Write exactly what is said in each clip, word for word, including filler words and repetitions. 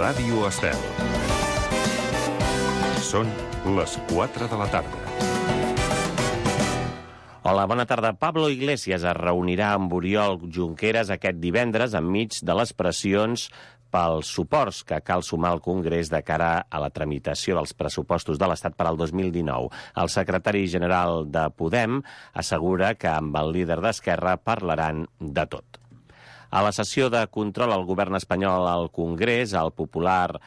Ràdio Estel. Són les quatre de la tarda. Hola, bona tarda. Pablo Iglesias es reunirà amb Oriol Junqueras aquest divendres enmig de les pressions pels suports que cal sumar al Congrés de cara a la tramitació dels pressupostos de l'Estat per al dos mil dinou. El secretari general de Podem assegura que amb el líder d'Esquerra parlaran de tot. A la sessió de control al govern espanyol al Congrés, el popular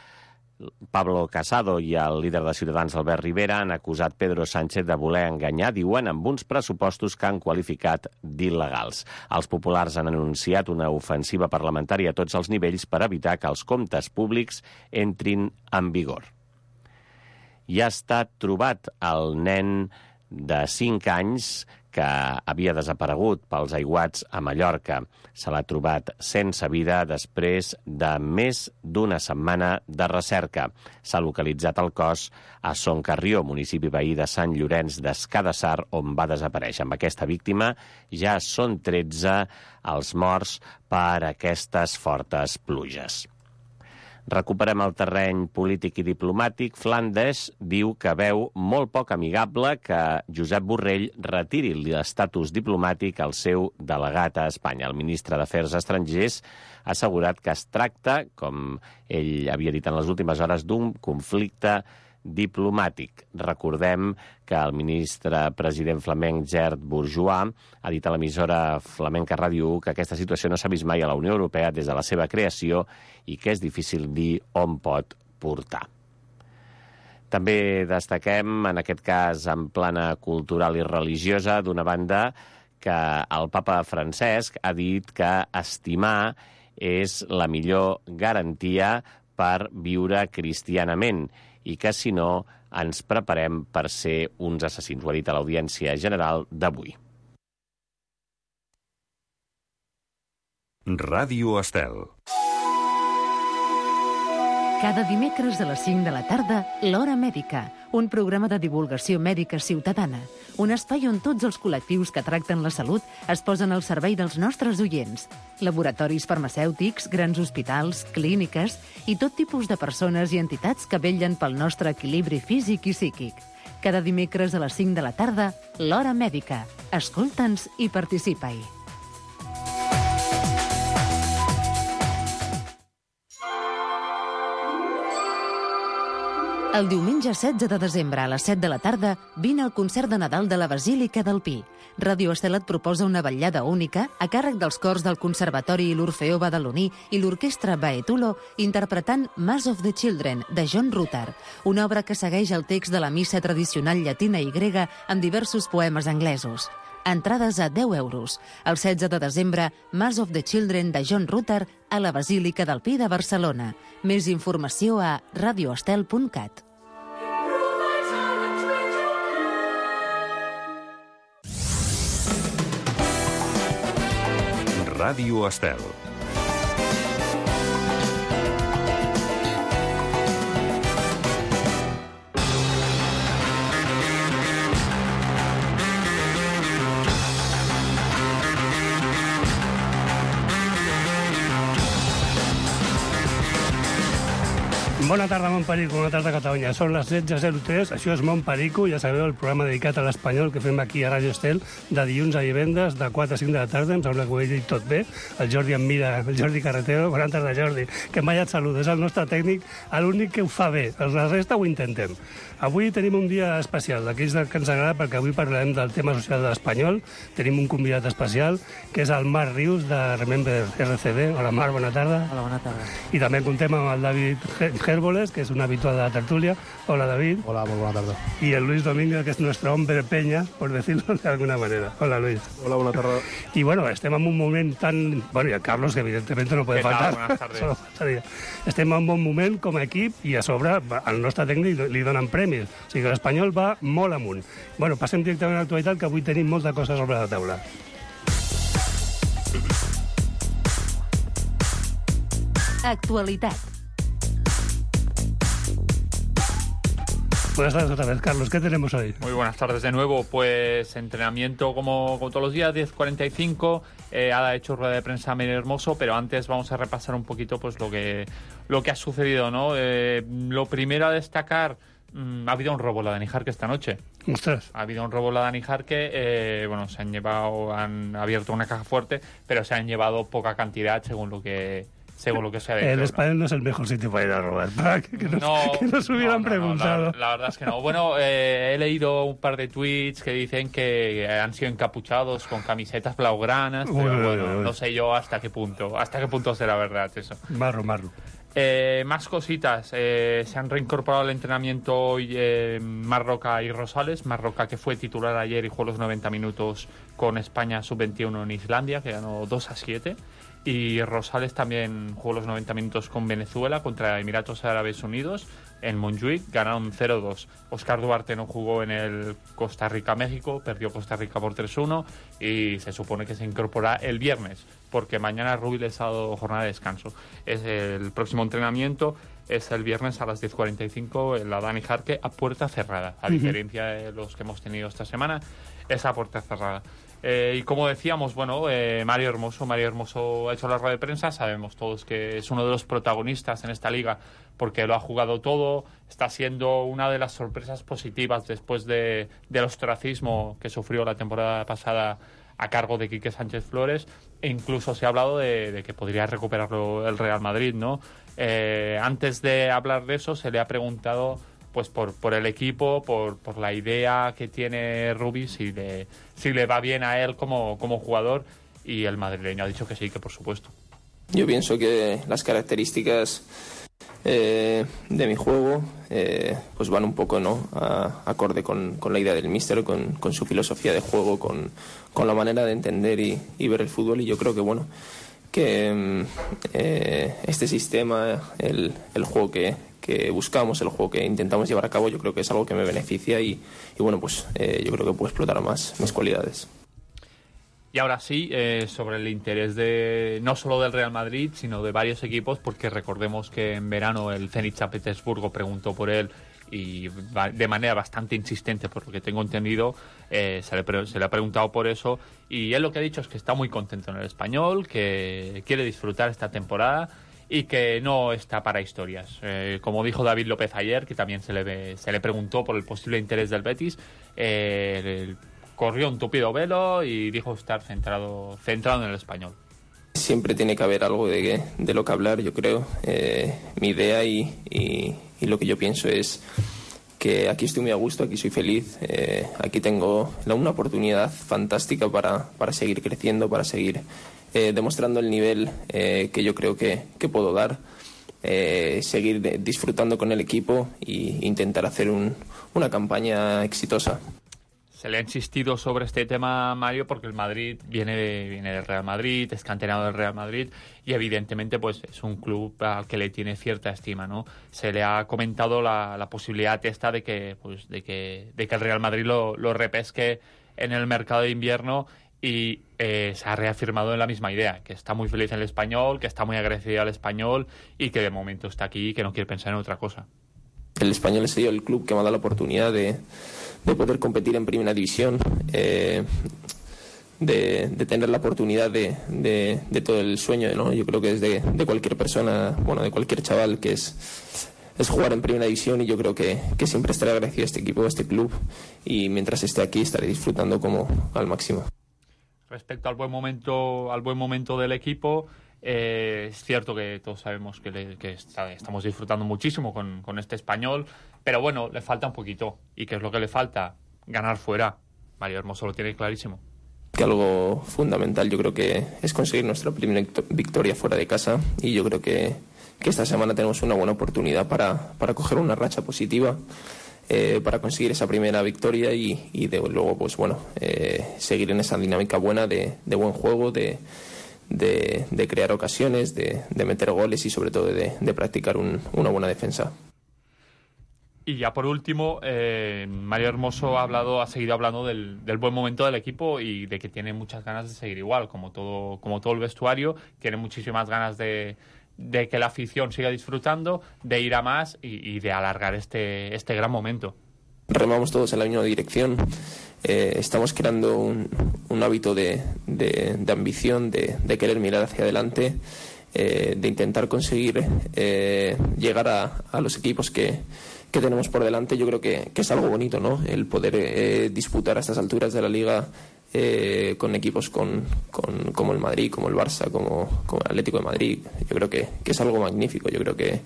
Pablo Casado i el líder de Ciutadans, Albert Rivera, han acusat Pedro Sánchez de voler enganyar, diuen, amb uns pressupostos que han qualificat d'il·legals. Els populars han anunciat una ofensiva parlamentària a tots els nivells per evitar que els comptes públics entrin en vigor. I ha estat trobat el nen de cinc anys que havia desaparegut pels aiguats a Mallorca. Se l'ha trobat sense vida després de més d'una setmana de recerca. S'ha localitzat el cos a Son Carrió, municipi veí de Sant Llorenç des Cadassar, on va desaparèixer. Amb aquesta víctima ja són tretze els morts per aquestes fortes pluges. Recuperem el terreny polític i diplomàtic. Flandes diu que veu molt poc amigable que Josep Borrell retiri l'estatus diplomàtic al seu delegat a Espanya. El ministre d'Afers Estrangers ha assegurat que es tracta, com ell havia dit en les últimes hores, d'un conflicte diplomàtic. Recordem que el ministre president flamenc Gerd Bourgeois ha dit a l'emissora flamenca Ràdio u que aquesta situació no s'ha vist mai a la Unió Europea des de la seva creació i que és difícil dir on pot portar. També destaquem, en aquest cas en plana cultural i religiosa, d'una banda, que el papa Francesc ha dit que estimar és la millor garantia per viure cristianament i que, si no, ens preparem per ser uns assassins. Ho ha dit a l'audiència general d'avui. Ràdio Estel. Cada dimecres a les cinc de la tarda, L'Hora Mèdica, un programa de divulgació mèdica ciutadana, un espai on tots els col·lectius que tracten la salut es posen al servei dels nostres oients. Laboratoris farmacèutics, grans hospitals, clíniques i tot tipus de persones i entitats que vetllen pel nostre equilibri físic i psíquic. Cada dimecres a les cinc de la tarda, L'Hora Mèdica. Escolta'ns i participa-hi. El diumenge setze de desembre a les set de la tarda vine al concert de Nadal de la Basílica del Pi. Ràdio Estel et proposa una vetllada única a càrrec dels cors del Conservatori i l'Orfeó Badaloní i l'Orquestra Baetulo interpretant Mass of the Children, de John Rutter, una obra que segueix el text de la missa tradicional llatina i grega amb diversos poemes anglesos. Entrades a deu euros. El setze de desembre, Mass of the Children de John Rutter a la Basílica del Pi de Barcelona. Més informació a radioestel punt cat. Ràdio Estel. Bona tarda, Montperico, bona tarda, Catalunya. Són les setze zero tres, això és Montperico, ja sabeu, el programa dedicat a l'espanyol que fem aquí a Ràdio Estel, de dilluns a divendres, de quatre a cinc de la tarda, em sembla que ho he dit tot bé. El Jordi em mira, el Jordi Carretero, bona tarda, Jordi, que em vaya et saluda, és el nostre tècnic, l'únic que ho fa bé, la resta ho intentem. Avui tenim un dia especial, d'aquells que ens agrada, perquè avui parlarem del tema social de l'espanyol. Tenim un convidat especial, que és el Marc Rius, de Remember R C D. Hola, Marc, bona tarda. Hola, bona tarda. I també contem amb el David Hérboles, que és un habitual de la tertúlia. Hola, David. Hola, muy buena tarde. Y el Luis Domínguez, que es nuestro hombre peña, por decirlo de alguna manera. Hola, Luis. Hola, buena tarde. Y bueno, estem en un moment tan... Bueno, y el Carlos, que evidentemente no puede ¿Qué tal? faltar. Buenas tardes. Solo faltaria. Estem en un bon moment com a equip i a sobre al nostre tècnic li donen premis. O sigui que l'Espanyol va molt amunt. Bueno, passem directament a l'actualitat, que avui tenim molta cosa sobre la taula. Actualitat. Buenas tardes otra vez, Carlos. ¿Qué tenemos hoy? Muy buenas tardes de nuevo. Pues entrenamiento como, como todos los días, diez cuarenta y cinco. Eh, ha hecho rueda de prensa Mary Hermoso, pero antes vamos a repasar un poquito pues lo que, lo que ha sucedido, ¿no? Eh, lo primero a destacar, mmm, ha habido un robo en la Dani Jarque esta noche. Ostras. Ha habido un robo en la Dani Jarque. Eh, bueno, se han llevado, han abierto una caja fuerte, pero se han llevado poca cantidad según lo que... según lo que se ha dicho. El español no es el mejor sitio para ir a robar, para que, que, nos, no, que nos hubieran no, no, preguntado. No, la, la verdad es que no. Bueno, eh, he leído un par de tweets que dicen que han sido encapuchados con camisetas blaugranas, pero uy, bueno, uy, uy. no sé yo hasta qué punto, hasta qué punto será verdad eso. Marro, marro. Eh, más cositas, eh, se han reincorporado al entrenamiento hoy eh, Marroca y Rosales. Marroca, que fue titular ayer y jugó los noventa minutos con España sub veintiuno en Islandia, que ganó dos a siete. Y Rosales también jugó los noventa minutos con Venezuela contra Emiratos Árabes Unidos en Montjuic, ganaron cero dos. Óscar Duarte no jugó en el Costa Rica-México, perdió Costa Rica por tres uno y se supone que se incorpora el viernes, porque mañana Rubí les ha dado jornada de descanso. Es el próximo entrenamiento, es el viernes a las diez cuarenta y cinco en la Dani Jarque a puerta cerrada, a diferencia de los que hemos tenido esta semana, es a puerta cerrada. Eh, y como decíamos, bueno, eh, Mario Hermoso, Mario Hermoso ha hecho la rueda de prensa, sabemos todos que es uno de los protagonistas en esta liga porque lo ha jugado todo, está siendo una de las sorpresas positivas después de, del ostracismo que sufrió la temporada pasada a cargo de Quique Sánchez Flores, e incluso se ha hablado de, de que podría recuperarlo el Real Madrid, ¿no? Eh, antes de hablar de eso se le ha preguntado pues por, por el equipo, por, por la idea que tiene Rubí, si le, si le va bien a él como, como jugador, y el madrileño ha dicho que sí, que por supuesto. Yo pienso que las características eh, de mi juego eh, pues van un poco, ¿no?, a, acorde con, con la idea del míster, con, con su filosofía de juego, con, con la manera de entender y, y ver el fútbol, y yo creo que bueno que eh, este sistema, el, el juego que, que buscamos, el juego que intentamos llevar a cabo, yo creo que es algo que me beneficia y, y bueno, pues eh, yo creo que puedo explotar más mis cualidades. Y ahora sí, eh, sobre el interés de no solo del Real Madrid, sino de varios equipos, porque recordemos que en verano el Zenit San Petersburgo preguntó por él y de manera bastante insistente, por lo que tengo entendido, eh, se, le, se le ha preguntado por eso, y él lo que ha dicho es que está muy contento en el Español, que quiere disfrutar esta temporada y que no está para historias. Eh, como dijo David López ayer, que también se le, se le preguntó por el posible interés del Betis, eh, el, corrió un tupido velo y dijo estar centrado, centrado en el Español. Siempre tiene que haber algo de, de lo que hablar, yo creo. Eh, mi idea y, y, y lo que yo pienso es que aquí estoy muy a gusto, aquí soy feliz, eh, aquí tengo una oportunidad fantástica para, para seguir creciendo, para seguir eh, demostrando el nivel eh, que yo creo que, que puedo dar, eh, seguir de, disfrutando con el equipo e intentar hacer un, una campaña exitosa. Se le ha insistido sobre este tema, Mario, porque el Madrid viene, de, viene del Real Madrid, es canterano del Real Madrid y evidentemente pues es un club al que le tiene cierta estima, ¿no? Se le ha comentado la, la posibilidad esta de que, pues, de que, de que el Real Madrid lo, lo repesque en el mercado de invierno y eh, se ha reafirmado en la misma idea, que está muy feliz en el Español, que está muy agradecido al Español y que de momento está aquí y que no quiere pensar en otra cosa. El Español ha sido el club que me ha dado la oportunidad de, de poder competir en Primera División, eh, de, de tener la oportunidad de, de, de todo el sueño, ¿no? Yo creo que es de, de cualquier persona, bueno, de cualquier chaval, que es, es jugar en Primera División, y yo creo que, que siempre estaré agradecido a este equipo, a este club, y mientras esté aquí estaré disfrutando como al máximo. Respecto al buen momento, al buen momento del equipo, Eh, es cierto que todos sabemos que, le, que está, estamos disfrutando muchísimo con, con este Español, pero bueno, le falta un poquito. ¿Y qué es lo que le falta? Ganar fuera. Mario Hermoso lo tiene clarísimo. Que algo fundamental yo creo que es conseguir nuestra primera victoria fuera de casa, y yo creo que, que esta semana tenemos una buena oportunidad para, para coger una racha positiva, eh, para conseguir esa primera victoria y, y de, luego pues bueno eh, seguir en esa dinámica buena de, de buen juego, de De, de crear ocasiones, de, de meter goles y sobre todo de, de practicar un, una buena defensa. Y ya por último, eh, Mario Hermoso ha hablado, ha seguido hablando del, del buen momento del equipo y de que tiene muchas ganas de seguir igual, como todo, como todo el vestuario, tiene muchísimas ganas de, de que la afición siga disfrutando, de ir a más y, y de alargar este, este gran momento. remamos todos en la misma dirección. Eh, estamos creando un, un hábito de, de, de ambición, de, de querer mirar hacia adelante, eh, de intentar conseguir eh, llegar a, a los equipos que, que tenemos por delante. Yo creo que, que es algo bonito, ¿no? El poder eh, disputar a estas alturas de la Liga eh, con equipos con, con, como el Madrid, como el Barça, como, como el Atlético de Madrid. Yo creo que, que es algo magnífico. Yo creo que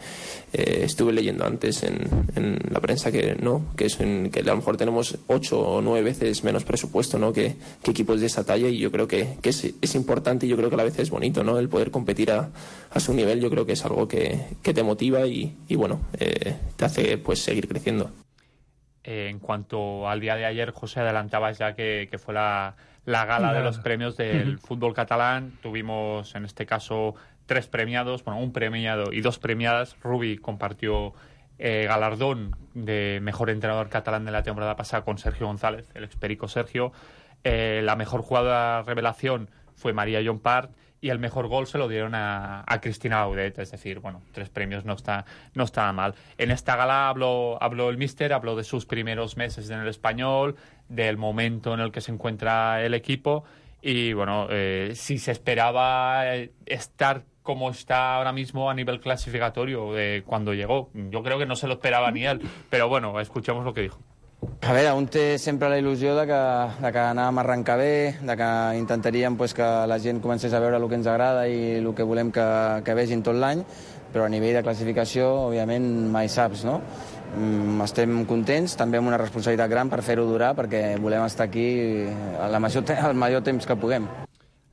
eh, estuve leyendo antes en, en la prensa que no, que, es en, que a lo mejor tenemos ocho o nueve veces menos presupuesto, ¿no? que, que equipos de esa talla, y yo creo que, que es, es importante, y yo creo que a la vez es bonito, ¿no? El poder competir a, a su nivel. Yo creo que es algo que, que te motiva y, y bueno, eh, te hace pues seguir creciendo. Eh, en cuanto al día de ayer, José, adelantabas ya que, que fue la, la gala de los premios del fútbol catalán. Tuvimos, en este caso, tres premiados, bueno, un premiado y dos premiadas. Rubi compartió eh, galardón de mejor entrenador catalán de la temporada pasada con Sergio González, el experico Sergio. Eh, la mejor jugadora revelación fue María Llompart, y el mejor gol se lo dieron a, a Cristina Audet. Es decir, bueno, tres premios no está, no está mal. En esta gala habló, habló el míster, habló de sus primeros meses en el Español, del momento en el que se encuentra el equipo, y bueno, eh, si se esperaba estar como está ahora mismo a nivel clasificatorio de cuando llegó. Yo creo que no se lo esperaba ni él, però bueno, escuchemos lo que dijo. A veure, un té sempre la il·lusió de que, de que anàvem a arrencar bé, de que intentaríem pues, que la gent comencés a veure el que ens agrada i el que volem que, que vegin tot l'any, però a nivell de classificació, òbviament, mai saps, no? Mm, estem contents, també amb una responsabilitat gran per fer-ho durar, perquè volem estar aquí el major, el major temps que puguem.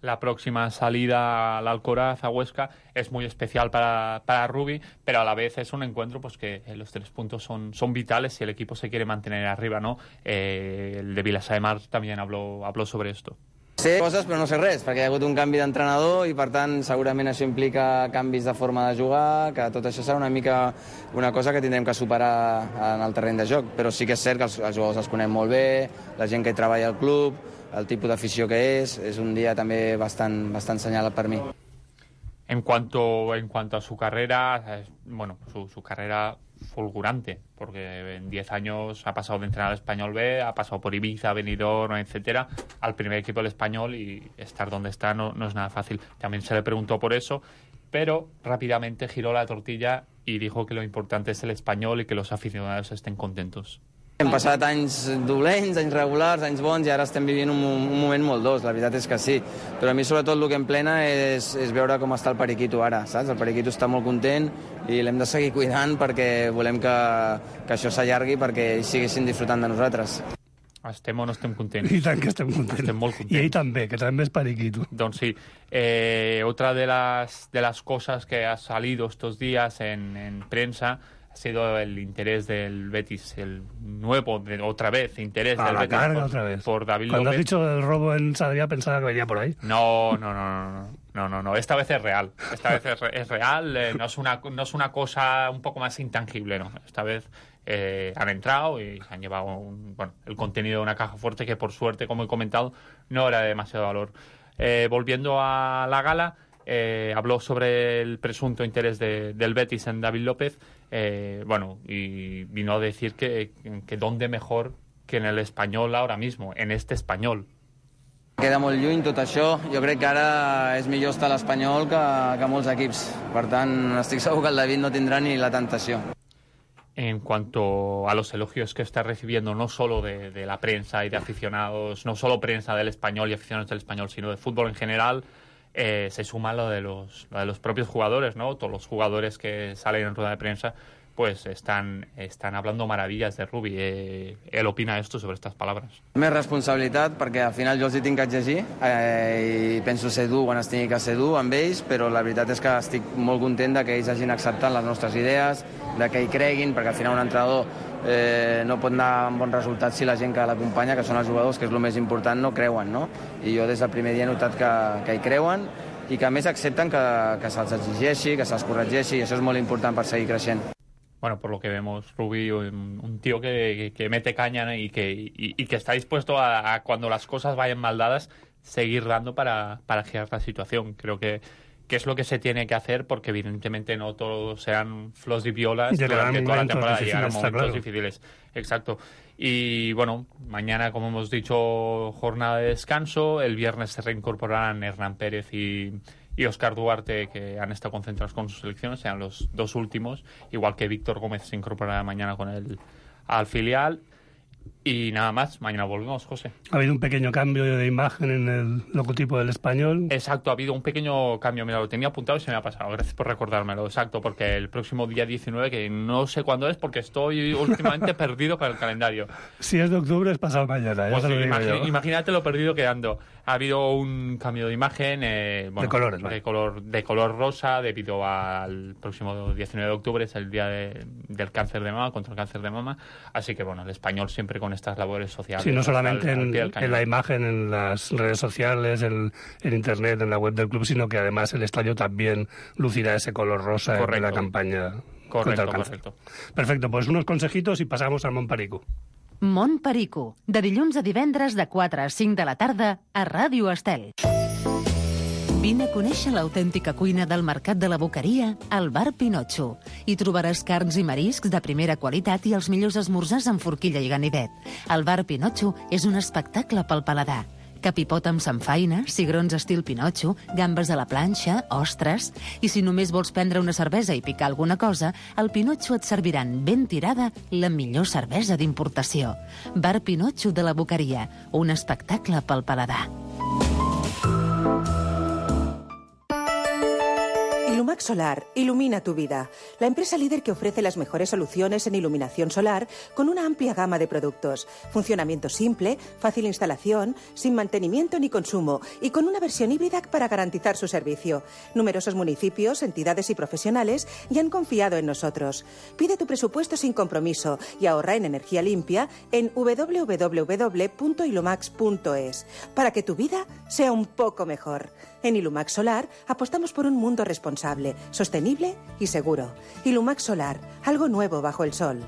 La próxima salida al Alcoraz, a Huesca, es muy especial para, para Rubi, pero a la vez es un encuentro pues que los tres puntos son, son vitales si el equipo se quiere mantener arriba, ¿no? Eh, el de Vilassar de Mar también habló, habló sobre esto. Sé coses però no sé res, perquè hi ha hagut un canvi d'entrenador i per tant segurament això implica canvis de forma de jugar, que tot això serà una mica una cosa que tindrem que superar en el terreny de joc, però sí que és cert que els, els jugadors els coneixem molt bé, la gent que hi treballa al club, el tipus d'afició que és, és un dia també bastant, bastant senyalat per mi. En cuanto, en cuanto a su carrera, bueno, su, su carrera fulgurante, porque en diez años ha pasado de entrenar al Español B, ha pasado por Ibiza, Benidorm, etcétera, al primer equipo del Español, y estar donde está no, no es nada fácil. También se le preguntó por eso, pero rápidamente giró la tortilla y dijo que lo importante es el Español y que los aficionados estén contentos. Hem passat anys dolents, anys regulars, anys bons, i ara estem vivint un, un moment molt dolç, la veritat és que sí. Però a mi sobretot el que em plena és, és veure com està el Periquito ara, saps? El Periquito està molt content i l'hem de seguir cuidant perquè volem que, que això s'allargui perquè ells siguessin disfrutant de nosaltres. Estem o no estem contents? I tant que estem contents. Estem molt contents. I ell també, que també és Periquito. Doncs sí. Eh, otra de las, de las cosas que ha salido estos días en, en prensa ha sido el interés del Betis, el nuevo, de, otra vez, interés a del la Betis carga, por, otra vez. por David Cuando López. has dicho el robo en Sarriá pensaba que venía por ahí. No, no, no, no, no, no, no, no. Esta vez es real. Esta vez es, es real. Eh, no es una, no es una cosa un poco más intangible, no. Esta vez eh, han entrado y han llevado un, bueno, el contenido de una caja fuerte que, por suerte, como he comentado, no era de demasiado valor. Eh, volviendo a la gala. Eh, habló sobre el presunto interés de, del Betis en David López, eh, bueno, y vino a decir que, que dónde mejor que en el Español ahora mismo, en este Español. Queda molt lluny tot això, jo crec que ara és millor estar a l'Espanyol que, que molts equips, per tant estic segur que el David no tindrà ni la tentació. En cuanto a los elogios que está recibiendo, no solo de, de la prensa y de aficionados, no solo prensa del Español y aficionados del Español, sino de fútbol en general, Eh, se suma lo de los lo de los propios jugadores, ¿no? Todos los jugadores que salen en rueda de prensa pues están, están hablando maravillas de Rubi. Eh, él opina esto sobre estas palabras. Més responsabilitat, perquè al final jo els hi tinc que exigir eh, i penso ser dur quan es tingui que ser dur amb ells, però la veritat és que estic molt content de que ells hagin acceptat les nostres idees, de que hi creguin, perquè al final un entrenador eh, no pot anar amb bons resultats si la gent que l'acompanya, que són els jugadors, que és el més important, no creuen, no? I jo des del primer dia he notat que, que hi creuen i que a més accepten que, que se'ls exigeixi, que se'ls corregeixi, i això és molt important per seguir creixent. Bueno, por lo que vemos, Rubi, un, un tío que, que mete caña, ¿no? y, que, y, y que está dispuesto a, a, cuando las cosas vayan mal dadas, seguir dando para, para girar la situación. Creo que, qué es lo que se tiene que hacer, porque evidentemente no todos sean flors y violas Llegarán durante toda la momentos temporada, difíciles, llegarán está momentos claro. difíciles. Exacto. Y bueno, mañana, como hemos dicho, jornada de descanso. El viernes se reincorporarán Hernán Pérez y, y Óscar Duarte, que han estado concentrados con sus selecciones, sean los dos últimos, igual que Víctor Gómez se incorporará mañana con el al filial. Y nada más, mañana volvemos, José. Ha habido un pequeño cambio de imagen en el logotipo del Español. Exacto, ha habido un pequeño cambio. Mira, lo tenía apuntado y se me ha pasado. Gracias por recordármelo. Exacto, porque el próximo día diecinueve, que no sé cuándo es, porque estoy últimamente perdido con el calendario. Si es de octubre, es pasado mañana. Ya Pues te lo digo imagi- yo. imagínate lo perdido que ando. Ha habido un cambio de imagen, eh, bueno, De colores, de vale. color, de color rosa, debido al próximo diecinueve de octubre, es el día de- del cáncer de mama, contra el cáncer de mama. Así que bueno, el Español siempre con estas labores sociales. Sí, no solamente al- al en, pie del cañón. en la imagen, en las redes sociales, en, en internet, en la web del club, sino que además el estadio también lucirá ese color rosa de Correcto. la campaña contra Correcto, el cáncer. correcto. Perfecto, pues unos consejitos y pasamos al Montparico. Mont Perico, de dilluns a divendres de quatre a cinc de la tarda a Ràdio Estel. Vine a conèixer l'autèntica cuina del Mercat de la Boqueria al Bar Pinotxo. Hi trobaràs carns i mariscs de primera qualitat i els millors esmorzars amb forquilla i ganivet. El Bar Pinotxo és un espectacle pel paladar. Capipot amb samfaina, cigrons estil Pinotxo, gambes a la planxa, ostres... I si només vols prendre una cervesa i picar alguna cosa, al Pinotxo et serviran ben tirada la millor cervesa d'importació. Bar Pinotxo de la Boqueria, un espectacle pel paladar. Ilumax Solar ilumina tu vida. La empresa líder que ofrece las mejores soluciones en iluminación solar con una amplia gama de productos. Funcionamiento simple, fácil instalación, sin mantenimiento ni consumo y con una versión híbrida para garantizar su servicio. Numerosos municipios, entidades y profesionales ya han confiado en nosotros. Pide tu presupuesto sin compromiso y ahorra en energía limpia en doble u doble u doble u punto ilumax punto es para que tu vida sea un poco mejor. En Ilumax Solar apostamos por un mundo responsable, sostenible y seguro. Ilumax Solar, algo nuevo bajo el sol.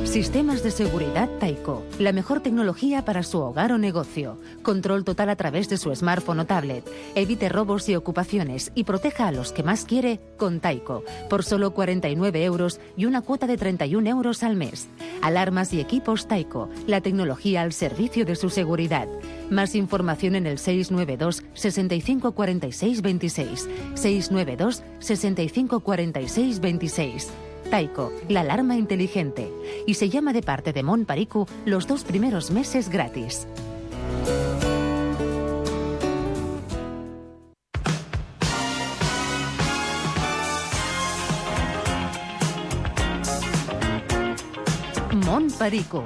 Sistemas de seguridad Taiko, la mejor tecnología para su hogar o negocio. Control total a través de su smartphone o tablet. Evite robos y ocupaciones y proteja a los que más quiere con Taiko, por solo cuarenta y nueve euros y una cuota de treinta y un euros al mes. Alarmas y equipos Taiko, la tecnología al servicio de su seguridad. Más información en el seis nueve dos, sesenta y cinco cuarenta y seis veintiséis. seis nueve dos, sesenta y cinco cuarenta y seis veintiséis. Taiko, la alarma inteligente. Y se llama de parte de Mont Perico los dos primeros meses gratis. Mont Perico.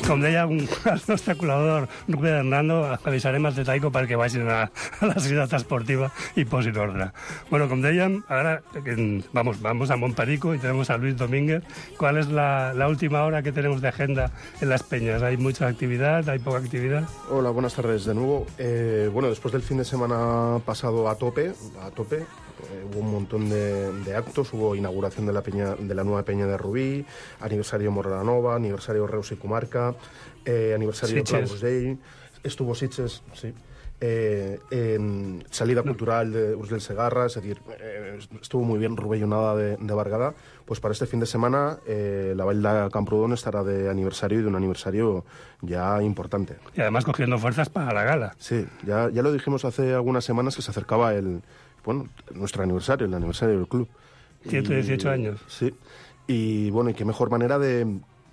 Com deia un, el nostre col·laborador Rubén Hernando, avisarem els de Taiko perquè vagin a, a la ciutat esportiva i posin ordre. Bueno, com dèiem, ara en, vamos, vamos a Montperico y tenemos a Luis Domínguez. ¿Cuál es la, la última hora que tenemos de agenda en las peñas? ¿Hay mucha actividad? ¿Hay poca actividad? Hola, buenas tardes de nuevo. Eh, bueno, después del fin de semana pasado a tope, a tope, Eh, hubo un montón de, de actos, hubo inauguración de la, peña, de la nueva peña de Rubí, aniversario Morlanova, aniversario Reus y Comarca, eh, aniversario Claus Day, estuvo Sitges, sí, eh, en salida cultural de Urs del Segarra, es decir, eh, estuvo muy bien Rubellonada de, de Bargada. Pues para este fin de semana eh, la Vall de Camprodon estará de aniversario y de un aniversario ya importante. Y además cogiendo fuerzas para la gala. Sí, ya, ya lo dijimos hace algunas semanas que se acercaba el... Bueno, nuestro aniversario, el aniversario del club. ciento dieciocho y, años. Sí. Y bueno, y qué mejor manera de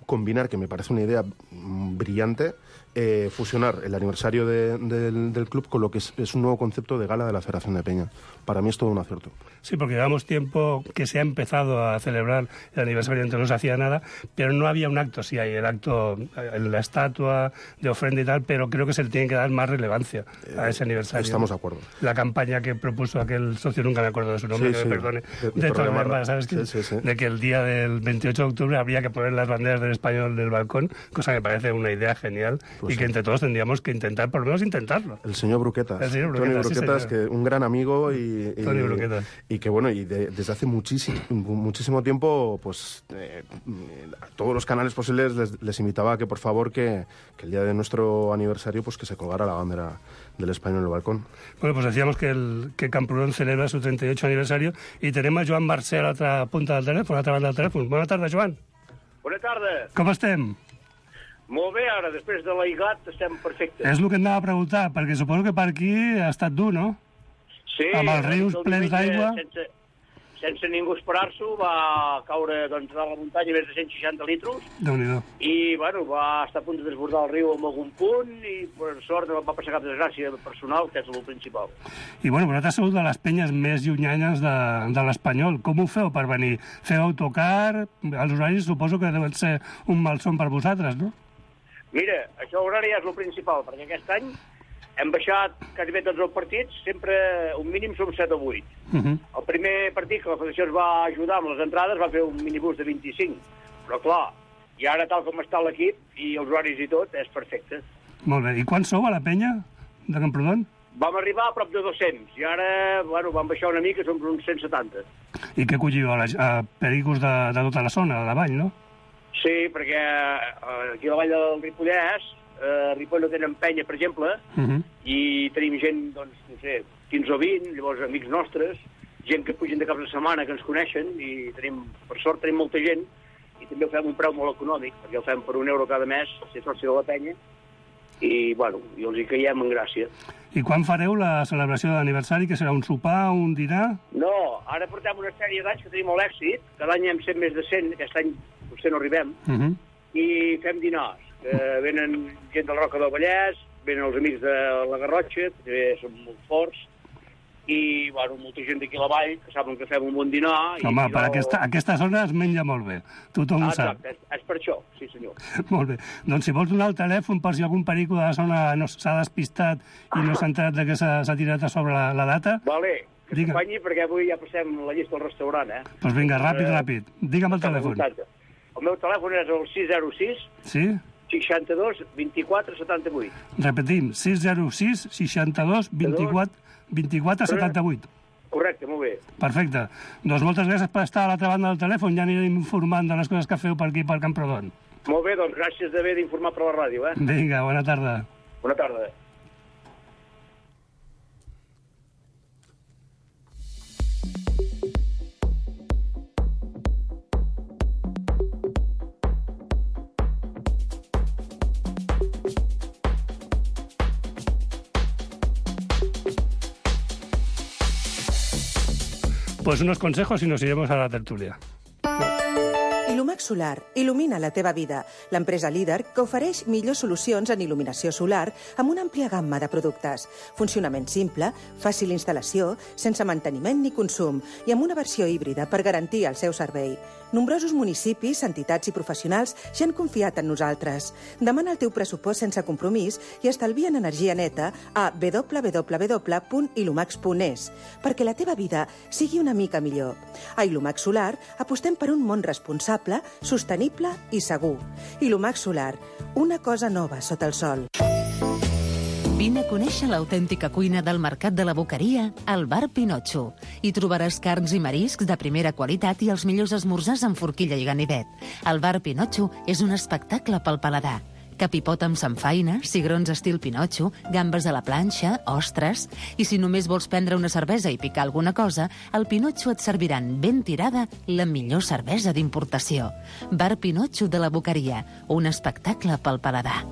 combinar, que me parece una idea brillante, eh, fusionar el aniversario de, de, del club con lo que es, es un nuevo concepto de gala de la Federación de Peña. Para mí es todo un acierto. Sí, porque llevamos tiempo que se ha empezado a celebrar el aniversario, entonces no se hacía nada, pero no había un acto. Sí, hay el acto, la estatua de ofrenda y tal, pero creo que se le tiene que dar más relevancia a ese aniversario. Estamos de acuerdo. La campaña que propuso aquel socio, nunca me acuerdo de su nombre, sí, que sí. me perdone, de, de, de Torremarra, ¿sabes? Sí, que, sí, sí. De que el día del veintiocho de octubre habría que poner las banderas del Español del balcón, cosa que me parece una una idea genial Pues y que sí. entre todos tendríamos que intentar, por lo menos intentarlo. El señor Bruquetas. El señor Tony Bruquetas, sí, Bruquetas, señor. que un gran amigo y, y, Tony Bruquetas. y que, bueno, y de- desde hace muchísimo, muchísimo tiempo, pues, eh, a todos los canales posibles les, les invitaba a que, por favor, que, que el día de nuestro aniversario, pues, que se colgara la bandera del Español en el balcón. Bueno, pues decíamos que, el, que Camprodon celebra su treinta y ocho aniversario y tenemos a Joan Mercè a l'altra punta del telèfon, a l'altra banda del telèfon. Bona tarda, Joan. Bona tarda. Com estem? Molt bé, ara, després de l'Aigat estem perfectes. És el que em anava a preguntar, perquè suposo que per aquí ha estat dur, no? Sí, amb els rius el plens diumenge, d'aigua. Sense, sense ningú esperar-s'ho, va caure doncs, de la muntanya més de cent seixanta litros Déu-n'hi-do. i bueno, va estar a punt de desbordar el riu en algun punt i per sort no va passar cap desgràcia personal, que és el principal. I bueno, vosaltres sou de les penyes més llunyanes de, de l'Espanyol. Com ho feu per venir? Feu autocar? Els horaris suposo que deuen ser un malson per vosaltres, no? Mira, això l'horari ja és el principal, perquè aquest any hem baixat quasi bé tots els partits, sempre un mínim som set o vuit. Uh -huh. El primer partit que la federació ens va ajudar amb les entrades va fer un minibús de vint-i-cinc, però clar, i ara tal com està l'equip i els horaris i tot, és perfecte. Molt bé. I quan sou a la penya de Camprodon? Vam arribar a prop de dos-cents i ara, bueno, vam baixar una mica, som uns cent setanta. I què colliu? A, la, a pericos de, de tota la zona, de la vall, no? Sí, perquè eh, aquí a la vall del Ripollès, eh, a Ripoll no tenen penya, per exemple, Uh -huh. i tenim gent, doncs, no sé, quinze o vint, llavors amics nostres, gent que pugen de caps de setmana, que ens coneixen, i tenim, per sort tenim molta gent, i també ho fem a un preu molt econòmic, perquè ho fem per un euro cada mes, si és soci de la penya, i, bueno, i els hi caiem en gràcia. I quan fareu la celebració d'aniversari, que serà un sopar, un dinar? No, ara portem una sèrie d'anys que tenim molt èxit, cada any hem set més de cent, aquest any potser no arribem, Uh -huh. i fem dinars. Eh, venen gent de la Roca del Vallès, venen els amics de la Garrotxa, que també són molt forts, i, bueno, molta gent d'aquí a la vall, que saben que fem un bon dinar. Home, i per aquesta, aquesta zona es menja molt bé. Tothom Ah, ho sap. exacte, és, és per això, sí senyor. Molt bé. Doncs si vols donar el telèfon per si algun perico de la zona no s'ha despistat i no s'ha enterat de que s'ha s'ha tirat a sobre la, la data, Vale, que Digue. s'acompanyi perquè avui ja passem la llista al restaurant, eh? doncs vinga, ràpid, Eh, ràpid. Digue'm el telèfon. El meu telèfon és el sis zero sis, Sí? seixanta-dos, vint-i-quatre, setanta-vuit. Repetim, sis zero sis, seixanta-dos, vint-i-quatre, vint-i-quatre, setanta-vuit. Correcte, molt bé. Perfecte. Doncs moltes gràcies per estar a l'altra banda del telèfon. Ja anirem informant de les coses que feu per aquí, per Camprodon. Molt bé, doncs gràcies d'haver d'informar per la ràdio, eh? Vinga, bona tarda. Bona tarda. Pues unos consejos y nos iremos a la tertulia. Ilumax Solar il·lumina la teva vida. L'empresa líder que ofereix millors solucions en il·luminació solar amb una àmplia gamma de productes. Funcionament simple, fàcil instal·lació, sense manteniment ni consum i amb una versió híbrida per garantir el seu servei. Nombrosos municipis, entitats i professionals ja han confiat en nosaltres. Demana el teu pressupost sense compromís i estalvia en energia neta a w w w punt ilumax punt es perquè la teva vida sigui una mica millor. A Ilumax Solar apostem per un món responsable, sostenible i segur. Ilumax Solar, una cosa nova sota el sol. Vine a conèixer l'autèntica cuina del Mercat de la Boqueria al Bar Pinotxo. Hi trobaràs carns i mariscs de primera qualitat i els millors esmorzars amb forquilla i ganivet. El Bar Pinotxo és un espectacle pel paladar. Capipot amb samfaina, cigrons estil Pinotxo, gambes a la planxa, ostres... I si només vols prendre una cervesa i picar alguna cosa, al Pinotxo et serviran ben tirada la millor cervesa d'importació. Bar Pinotxo de la Boqueria, un espectacle pel paladar.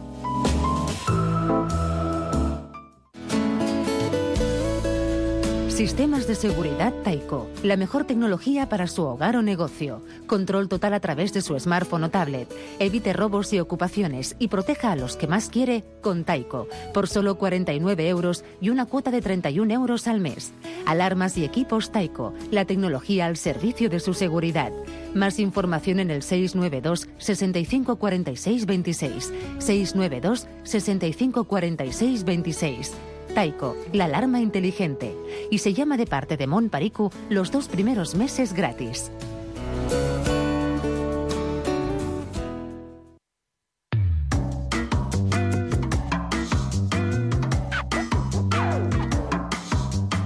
Sistemas de seguridad Taiko. La mejor tecnología para su hogar o negocio. Control total a través de su smartphone o tablet. Evite robos y ocupaciones y proteja a los que más quiere con Taiko. Por solo cuarenta y nueve euros y una cuota de treinta y un euros al mes. Alarmas y equipos Taiko. La tecnología al servicio de su seguridad. Más información en el seis nueve dos, sesenta y cinco cuarenta y seis veintiséis. seis nueve dos, sesenta y cinco cuarenta y seis veintiséis. Taiko, la alarma inteligente. Y se llama de parte de Mon Pariku los dos primeros meses gratis.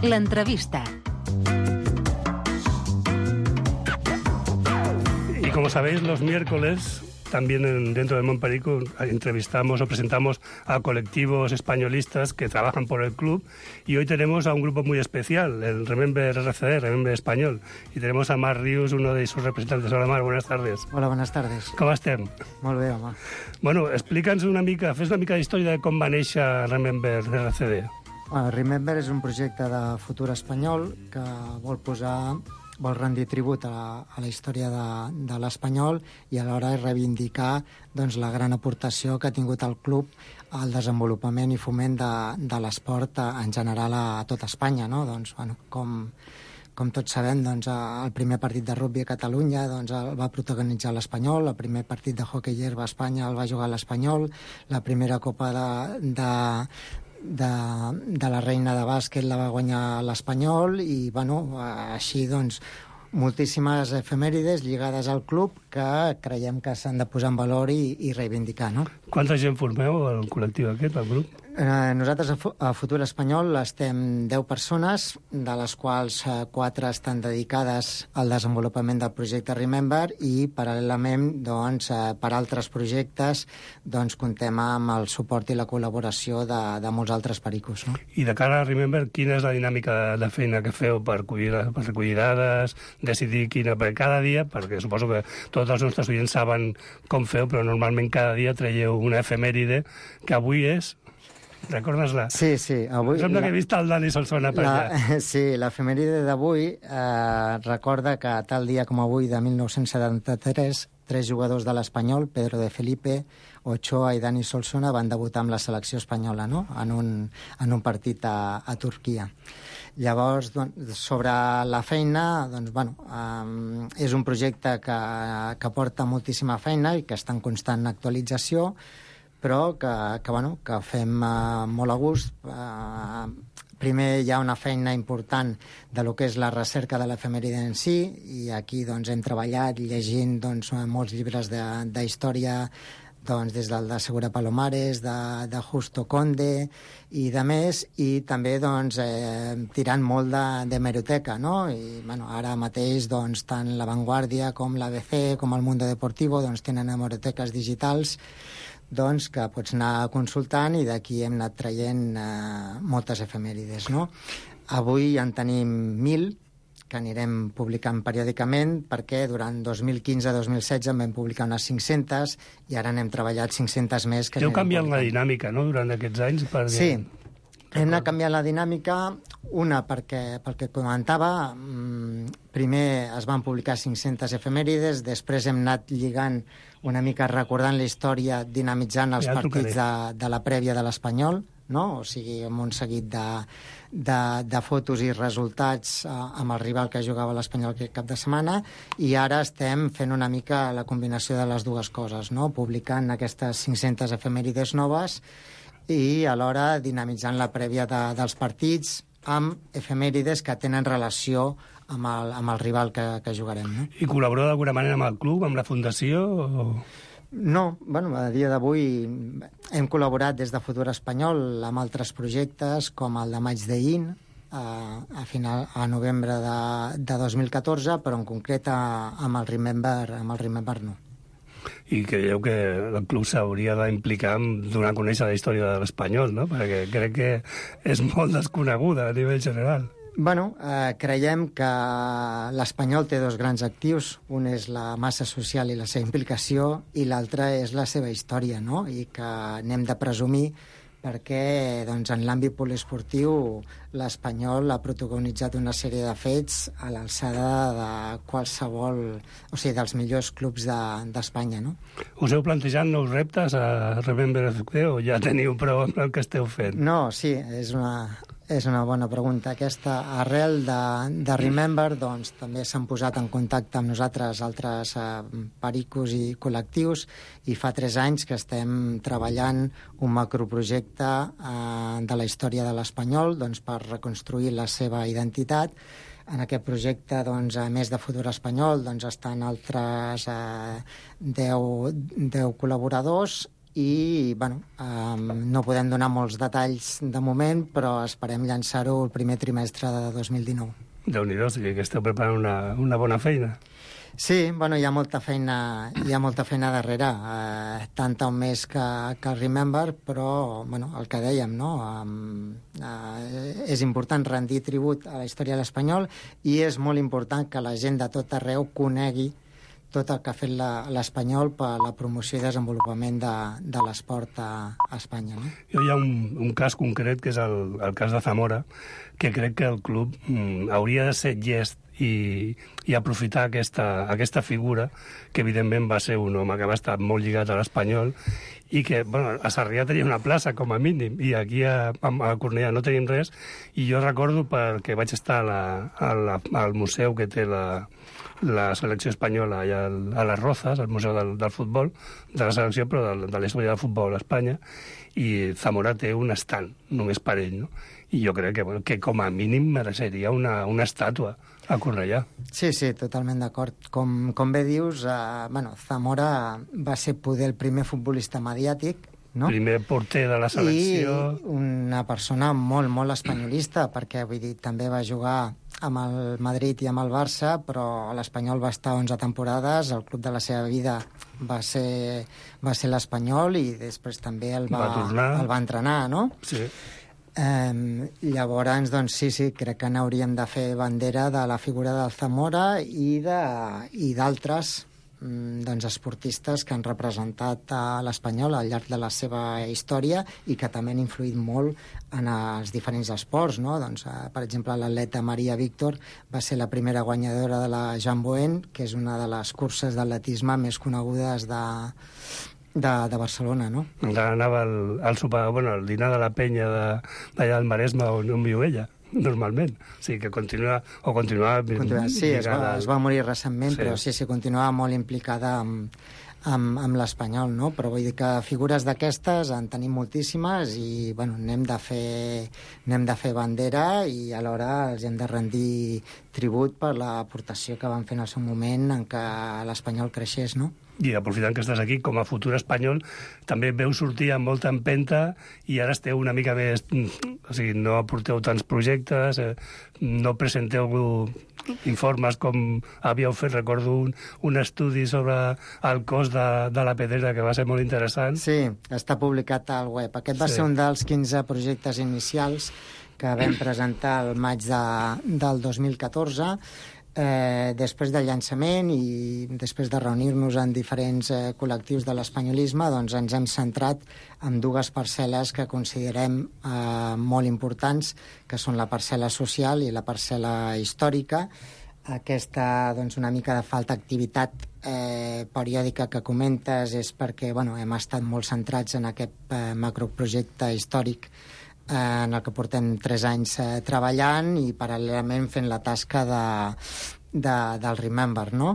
L'entrevista. Y como sabéis, los miércoles, también en, dentro de Montperico, entrevistamos o presentamos a colectivos españolistas que trabajan por el club, y hoy tenemos a un grupo muy especial, el Remember R C D, Remember Español, y tenemos a Marc Rius, uno de sus representantes. Hola, Marc, buenas tardes. Hola, buenas tardes. Com estem? Molt bé, home. Bueno, explica'ns una mica, fes una mica d'història de com va néixer Remember R C D. Bueno, Remember és un projecte de futur espanyol que vol posar, vol rendir tribut a la, a la història de, de l'espanyol i alhora reivindicar doncs, la gran aportació que ha tingut el club al desenvolupament i foment de, de l'esport en general a, a tot Espanya, no? Doncs, bueno, com, com tots sabem, doncs, el primer partit de rugby a Catalunya doncs, el va protagonitzar l'Espanyol, el primer partit de hoquei herba a Espanya el va jugar l'Espanyol, la primera copa de, de, de, de la reina de bàsquet la va guanyar l'Espanyol i, bueno, així, doncs, moltíssimes efemèrides lligades al club que creiem que s'han de posar en valor i, i reivindicar, no? Quanta gent formeu al col·lectiu aquest, al grup? Eh, nosaltres a, a Futur Espanyol estem deu persones, de les quals eh, quatre estan dedicades al desenvolupament del projecte Remember i, paral·lelament, doncs, eh, per altres projectes, doncs, comptem amb el suport i la col·laboració de, de molts altres pericos, no? I de cara a Remember, quina és la dinàmica de, de feina que feu per recollir, per recollir dades, decidir quina per cada dia, perquè suposo que tots els nostres oients saben com feu, però normalment cada dia traieu una efemèride, que avui és... Recordes-la? Sí, sí. Avui, sembla la, que he vist el Dani Solsona per la, allà. Sí, l'efemèride d'avui eh, recorda que tal dia com avui, de mil nou-cents setanta-tres, tres jugadors de l'Espanyol, Pedro de Felipe, Ochoa i Dani Solsona, van debutar amb la selecció espanyola, no? en, un, en un partit a, a Turquia. Llavors, doncs, sobre la feina, doncs, bueno, eh, és un projecte que, que porta moltíssima feina i que està en constant actualització, però que, que, bueno, que fem uh, molt a gust. Uh, primer hi ha una feina important de lo que és la recerca de l'efemèride en si, i aquí doncs, hem treballat llegint doncs, molts llibres d'història, doncs, des del de Segura Palomares, de, de Justo Conde i de més, i també doncs, eh, tirant molt d'hemeroteca, no? I, bueno, ara mateix doncs, tant La Vanguardia com l'A B C com el Mundo Deportivo doncs, tenen hemeroteques digitals doncs, que pots anar consultant, i d'aquí hem anat traient eh, moltes efemèrides, no? Avui en tenim mil, que anirem publicant periòdicament, perquè durant dos mil quinze dos mil setze en vam publicar unes cinc-centes i ara n'hem treballat cinc-centes més. Que Heu canviat la dinàmica, no?, durant aquests anys? Perquè... Sí, hem anat canviant la dinàmica, una perquè, pel que comentava, primer es van publicar cinc-centes efemèrides, després hem anat lligant una mica, recordant la història, dinamitzant els ja, partits de, de la prèvia de l'Espanyol, no? O sigui, amb un seguit de, de, de fotos i resultats eh, amb el rival que jugava l'Espanyol aquest cap de setmana, i ara estem fent una mica la combinació de les dues coses, no? Publicant aquestes cinc-centes efemèrides noves i alhora dinamitzant la prèvia de, dels partits amb efemèrides que tenen relació amb el, amb el rival que, que jugarem. No? I col·laboreu d'alguna manera amb el club, amb la fundació? O... No, bueno, a dia d'avui hem col·laborat des de Futur Espanyol amb altres projectes, com el de Maig de In, a, a, final, a novembre de, de dos mil catorze, però en concret a, amb, el Remember, amb el Remember no. I creieu que el club s'hauria d'implicar en donar a conèixer la història de l'Espanyol, no? Perquè crec que és molt desconeguda a nivell general. Bueno, eh, creiem que l'Espanyol té dos grans actius. Un és la massa social i la seva implicació, i l'altre és la seva història, no? I que n'hem de presumir perquè doncs, en l'àmbit poliesportiu l'Espanyol ha protagonitzat una sèrie de fets a l'alçada de qualsevol, o sigui, dels millors clubs d'Espanya, no? Us heu plantejat nous reptes a Remember F C o ja teniu prou amb el que esteu fent? No, sí, és una, és una bona pregunta. Aquesta, arrel de, de Remember, doncs, també s'han posat en contacte amb nosaltres altres eh, pericos i col·lectius, i fa tres anys que estem treballant un macroprojecte eh, de la història de l'Espanyol, doncs, per reconstruir la seva identitat. En aquest projecte, doncs, a més de Futur Espanyol, doncs, estan altres eh, deu, deu col·laboradors, i bueno, um, no podem donar molts detalls de moment, però esperem llançar-ho el primer trimestre de dos mil dinou. Déu-n'hi-do, o sigui que esteu preparant una, una bona feina. Sí, bueno, hi ha molta feina, hi ha molta feina darrere, eh, tant o més que, que el Remember, però bueno, el que dèiem, no? Um, eh, és important rendir tribut a la història de l'espanyol i és molt important que la gent de tot arreu conegui tot el que ha fet l'Espanyol per la promoció i desenvolupament de, de l'esport a, a Espanya. No? Hi ha un, un cas concret, que és el, el cas de Zamora, que crec que el club mm, hauria de ser llest i, i aprofitar aquesta, aquesta figura, que evidentment va ser un home que va estar molt lligat a l'Espanyol i que, bueno, a Sarrià tenia una plaça com a mínim i aquí a, a Cornellà no tenim res, i jo recordo perquè vaig estar a la, a la, al museu que té la, la selecció espanyola allà a les Rozas, al museu del, del futbol, de la selecció, però de, de la història del futbol a Espanya, i Zamora té un estant només per ell, no? I jo crec que, bueno, que com a mínim mereixeria una, una estàtua a Cornellà. Sí, sí, totalment d'acord. Com, com bé dius, eh, bueno, Zamora va ser poder el primer futbolista mediàtic, no? Primer porter de la selecció. I una persona molt, molt espanyolista, perquè vull dir, també va jugar amb el Madrid i amb el Barça, però a l'Espanyol va estar onze temporades, el club de la seva vida va ser, va ser l'Espanyol i després també el va, va el va entrenar, no? Sí. Um, llavors, doncs sí, sí, crec que n'hauríem de fer bandera de la figura del Zamora i d'altres um, doncs, esportistes que han representat a l'Espanyol al llarg de la seva història i que també han influït molt en els diferents esports, no? Doncs, uh, per exemple, l'atleta Maria Víctor va ser la primera guanyadora de la Jamboen, que és una de les curses d'atletisme més conegudes de De, de Barcelona, no? Encara anava al, al, sopar, bueno, al dinar de la penya d'allà al Maresme on, on viu ella, normalment. O sigui que continua, o continuava... continua sí, es va, es va morir recentment, sí. Però sí, sí, continuava molt implicada amb, amb, amb l'Espanyol, no? Però vull dir que figures d'aquestes en tenim moltíssimes i, bueno, n'hem de fer, n'hem de fer bandera i alhora els hem de rendir tribut per l'aportació que van fer en el seu moment en què l'Espanyol creixés, no? I aprofitant que estàs aquí, com a futur espanyol, també veu sortir amb molta empenta i ara esteu una mica més... O sigui, no aporteu tants projectes, eh, no presenteu informes com havíeu fet, recordo un, un estudi sobre el cost de, de la pedrera que va ser molt interessant. Sí, està publicat al web. Aquest va sí. ser un dels quinze projectes inicials que vam presentar al maig de, del dos mil catorze. Eh, després del llançament i després de reunir-nos en diferents eh, col·lectius de l'espanyolisme, doncs ens hem centrat en dues parcel·les que considerem eh, molt importants, que són la parcel·la social i la parcel·la històrica. Aquesta, doncs, una mica de falta d'activitat eh, periòdica que comentes és perquè, bueno, hem estat molt centrats en aquest eh, macroprojecte històric en el que portem tres anys eh, treballant i paral·lelament fent la tasca de, de, del Remember, no?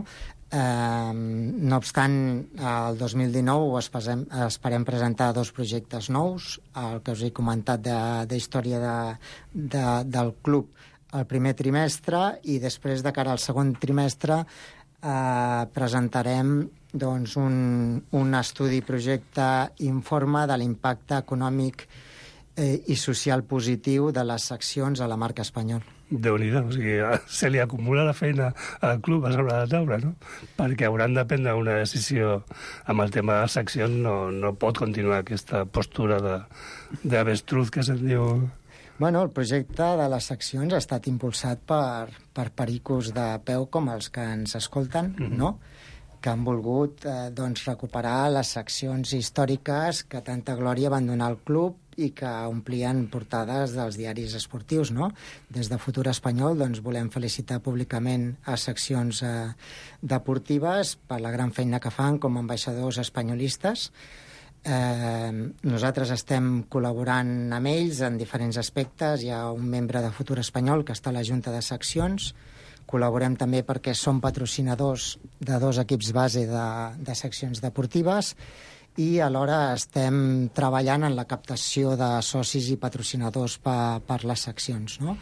Eh, no obstant, el dos mil dinou esperem, esperem presentar dos projectes nous, el que us he comentat de, de història de, de, del club el primer trimestre i després, de cara al segon trimestre, eh, presentarem doncs, un, un estudi projecte informe de l'impacte econòmic Eh, i social positiu de les seccions a la marca Espanyol. Déu-n'hi-do, o sigui, se li acumula la feina al club a sobre la taula, no? Perquè hauran de prendre una decisió amb el tema de les seccions, no, no pot continuar aquesta postura d'avestruz que se'n diu. Bueno, el projecte de les seccions ha estat impulsat per, per pericos de peu com els que ens escolten, mm-hmm. no? Que han volgut eh, doncs, recuperar les seccions històriques que tanta glòria van donar al club i que omplien portades dels diaris esportius, no? Des de Futur Espanyol doncs, volem felicitar públicament a seccions eh, deportives per la gran feina que fan com a ambaixadors espanyolistes. Eh, nosaltres estem col·laborant amb ells en diferents aspectes. Hi ha un membre de Futur Espanyol que està a la Junta de Seccions. Col·laborem també perquè som patrocinadors de dos equips base de, de seccions deportives i alhora estem treballant en la captació de socis i patrocinadors per, per les seccions, no?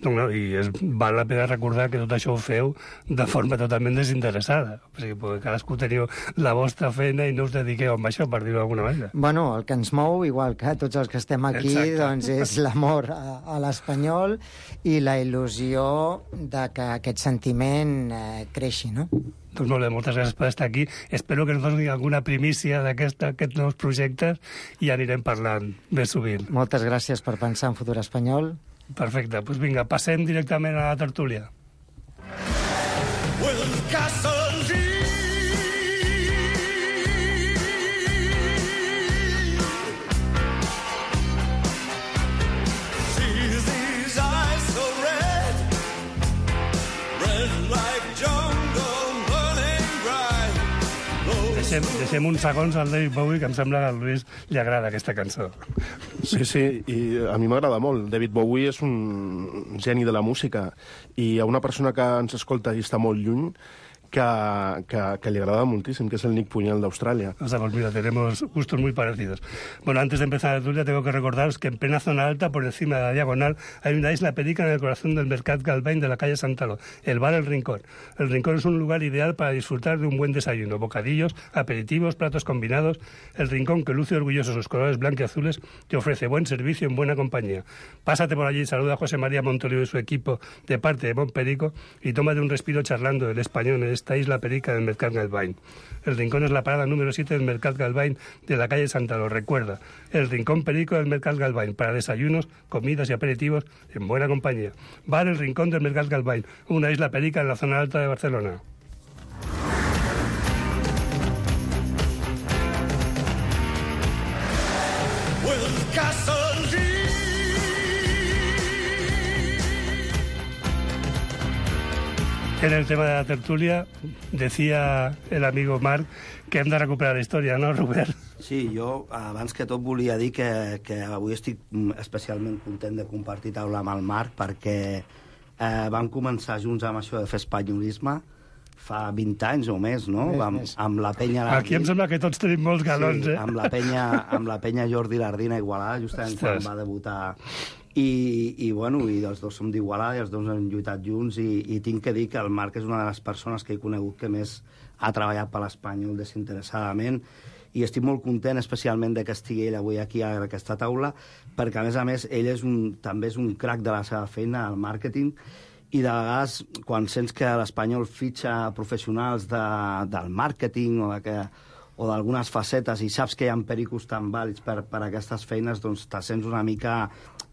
No, no, i és, val la pena recordar que tot això ho feu de forma totalment desinteressada. O sigui, perquè cadascú teniu la vostra feina i no us dediqueu a això, per dir-ho d'alguna manera. Bueno, el que ens mou, igual que tots els que estem aquí, Exacte. doncs és l'amor a, a l'Espanyol i la il·lusió de que aquest sentiment eh, creixi, no? Doncs molt bé, moltes gràcies per estar aquí. Espero que ens doni alguna primícia d'aquests nous projectes i anirem parlant més sovint. Moltes gràcies per pensar en futur espanyol. Perfecte, doncs vinga, passem directament a la tertúlia. Deixem, deixem uns segons al David Bowie, que em sembla que al Lluís li agrada aquesta cançó. Sí, sí, i a mi m'agrada molt. David Bowie és un geni de la música i hi ha una persona que ens escolta i està molt lluny que, que, que le agrada muchísimo, que es el Nick Puñal de Australia. O sea, pues mira, tenemos gustos muy parecidos. Bueno, antes de empezar la tertulia, tengo que recordaros que en plena zona alta, por encima de la diagonal, hay una isla perica en el corazón del Mercat Galvain de la calle Santaló, el bar El Rincón. El Rincón es un lugar ideal para disfrutar de un buen desayuno, bocadillos, aperitivos, platos combinados. El Rincón, que luce orgulloso sus colores blancos y azules, te ofrece buen servicio en buena compañía. Pásate por allí, saluda a José María Montolivo y su equipo de parte de Montperico y tómate un respiro charlando del español en esta isla perica del Mercat Galvain. El Rincón es la parada número siete del Mercat Galvain de la calle Santaló. Recuerda, el Rincón Perico del Mercat Galvain para desayunos, comidas y aperitivos en buena compañía. Bar El Rincón del Mercat Galvain, una isla perica en la zona alta de Barcelona. En el tema de la tertulia, decía el amigo Marc que hem de recuperar la història, no, Robert? Sí, jo abans que tot volia dir que, que avui estic especialment content de compartir taula amb el Marc perquè eh, vam començar junts amb això de fer espanyolisme fa vint anys o més, no? Més, amb, més. amb la penya... Aquí em sembla que tots tenim molts galons, sí, eh? amb la penya, amb la penya Jordi Lardina Igualada, justament Ostres. quan va debutar... I, i, bueno, i els dos som d'Igualada i els dos hem lluitat junts i, i tinc que dir que el Marc és una de les persones que he conegut que més ha treballat per l'Espanyol desinteressadament i estic molt content especialment de que estigui ell avui aquí a aquesta taula perquè a més a més ell és un, també és un crac de la seva feina al màrqueting i de vegades quan sents que l'Espanyol fitxa professionals de, del màrqueting o de que o d'algunes facetes i saps que hi ha pericos tan vàlids per, per aquestes feines, doncs te sents una mica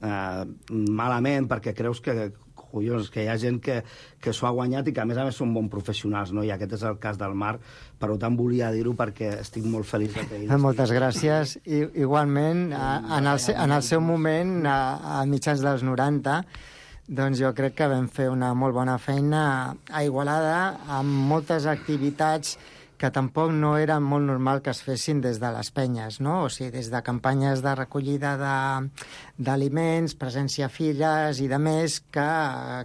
eh, malament perquè creus que, collons, que hi ha gent que, que s'ho ha guanyat i que a més a més són bons professionals, no? I aquest és el cas del Marc, per tant volia dir-ho perquè estic molt feliç de que ell... Moltes gràcies. I, igualment, a, en, el, en el seu moment, a, a mitjans dels noranta, doncs jo crec que vam fer una molt bona feina a Igualada amb moltes activitats que tampoc no era molt normal que es fessin des de les penyes, no? O sigui, des de campanyes de recollida d'aliments, presència a filles i de més, que,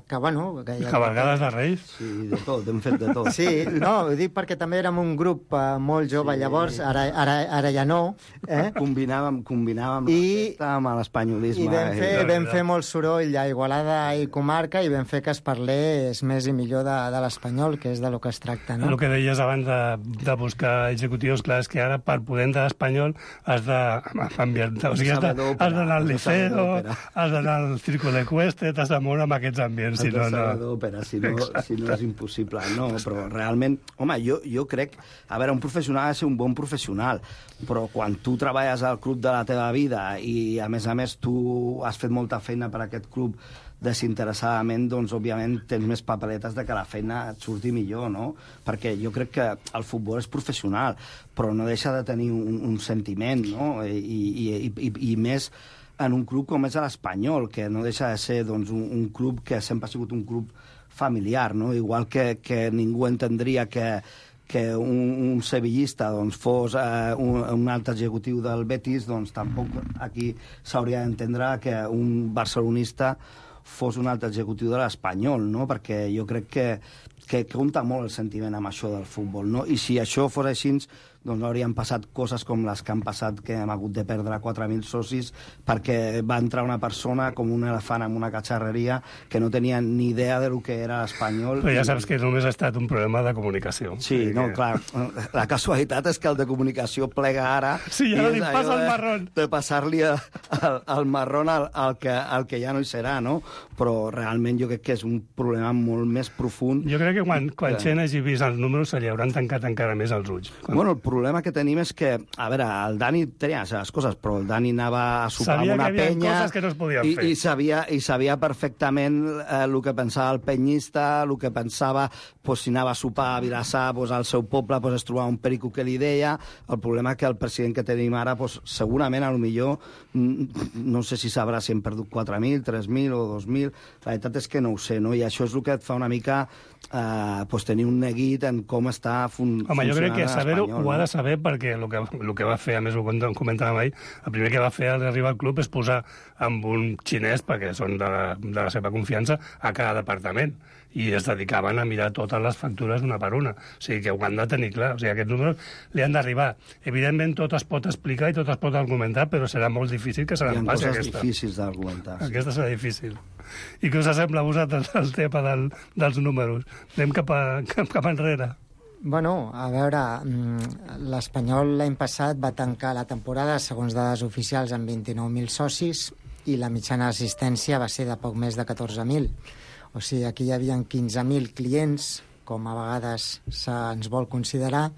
que bueno... Que ja... Cavalgades de Reis? Sí, de tot, hem fet de tot. Sí, no, ho dic perquè també érem un grup uh, molt jove sí. Llavors, ara, ara, ara ja no. Eh? Combinàvem, combinàvem I, la festa amb l'espanyolisme. I vam fer, eh? vam fer molt soroll a Igualada i comarca i vam fer que es parlés més i millor de, de l'espanyol, que és de lo que es tracta, no? El que deies abans de de buscar executius, clar, és que ara per poder entrar a l'Espanyol has d'ambientar, o sigui, has d'anar al liceo, has d'anar al Círculo Ecuestre, t'has de moure amb aquests ambients, si no, no... d'òpera, si no, si no és impossible. No, però realment, home, jo, jo crec... A veure, un professional ha de ser un bon professional, però quan tu treballes al club de la teva vida i, a més a més, tu has fet molta feina per a aquest club desinteressadament, doncs, òbviament, tens més paperetes de que la feina et surti millor, no? Perquè jo crec que el futbol és professional, però no deixa de tenir un, un sentiment, no? I, i, i, i, i més en un club com és l'Espanyol, que no deixa de ser, doncs, un, un club que sempre ha sigut un club familiar, no? Igual que, que ningú entendria que que un, un sevillista doncs, fos eh, un, un altre executiu del Betis, doncs tampoc aquí s'hauria d'entendre que un barcelonista fos un altre executiu de l'Espanyol, no? Perquè jo crec que, que compta molt el sentiment amb això del futbol, no? I si això fos així, doncs no haurien passat coses com les que han passat, que hem hagut de perdre quatre mil socis perquè va entrar una persona com un elefant en una catxarreria que no tenia ni idea de lo que era l'espanyol. Però ja saps que només ha estat un problema de comunicació. Sí, no, clar. La casualitat és que el de comunicació plega ara. Sí, ja li passa el marrón. De, de passar-li el, el marrón al, al, que, al que ja no hi serà, no? Però realment jo crec que és un problema molt més profund. Jo crec que quan, quan que... gent hagi vist els números se li hauran tancat encara més els ulls. Quan... Bueno, el problema que tenim és que, a veure, el Dani tenia les coses, però el Dani anava a sopar sabia amb una que penya... coses que no es podien i, fer. I sabia, i sabia perfectament eh, el que pensava el penyista, el que pensava, pues, si anava a sopar a Vilassar, pues, al seu poble, pues, es trobava un perico que li deia. El problema és que el president que tenim ara, pues, segurament, a lo millor, no sé si sabrà si hem perdut quatre mil, tres mil o dos mil, la veritat és que no ho sé, no? I això és el que et fa una mica eh, pues, tenir un neguit en com està fun Home, jo crec que saber-ho ho ha no? de saber perquè el que, el que va fer, a més ho comentàvem ahir, el primer que va fer al arribar al club és posar amb un xinès, perquè són de la, de la seva confiança, a cada departament. I es dedicaven a mirar totes les factures una per una. O sigui que ho han de tenir clar. O sigui, aquests números li han d'arribar. Evidentment, tot es pot explicar i tot es pot argumentar, però serà molt difícil que se n'en passi aquesta. Hi ha coses difícils d'argumentar. Sí. Aquesta serà difícil. I què us sembla a vosaltres el tema del, dels números? Anem cap, a, cap, cap enrere. Bueno, a veure, l'Espanyol l'any passat va tancar la temporada, segons dades oficials, amb vint-i-nou mil socis i la mitjana d'assistència va ser de poc més de catorze mil. O sigui, aquí hi havia quinze mil clients, com a vegades se'ns vol considerar,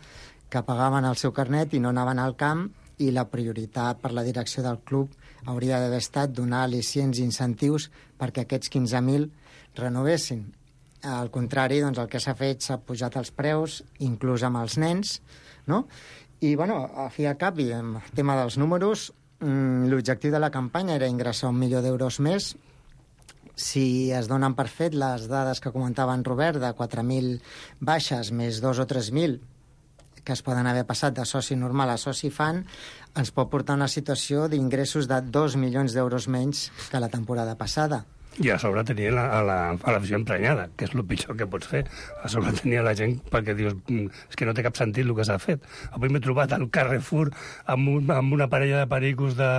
que pagaven el seu carnet i no anaven al camp, i la prioritat per la direcció del club hauria d'haver estat donar al·licients i incentius perquè aquests quinze mil renovessin. Al contrari, doncs, el que s'ha fet s'ha pujat els preus, inclús amb els nens, no? I, bueno, a fi al cap, i en el tema dels números, l'objectiu de la campanya era ingressar un milió d'euros més. Si es donen per fet les dades que comentava en Robert, de quatre mil baixes més dos o tres mil que es poden haver passat de soci normal a soci fan, ens pot portar a una situació d'ingressos de dos milions d'euros menys que la temporada passada. I a sobre tenia la, a la, a l'afició emprenyada, que és el pitjor que pots fer. A sobre tenia la gent perquè dius, és que no té cap sentit el que s'ha fet. Avui m'he trobat al Carrefour amb, un, amb una parella de pericos de,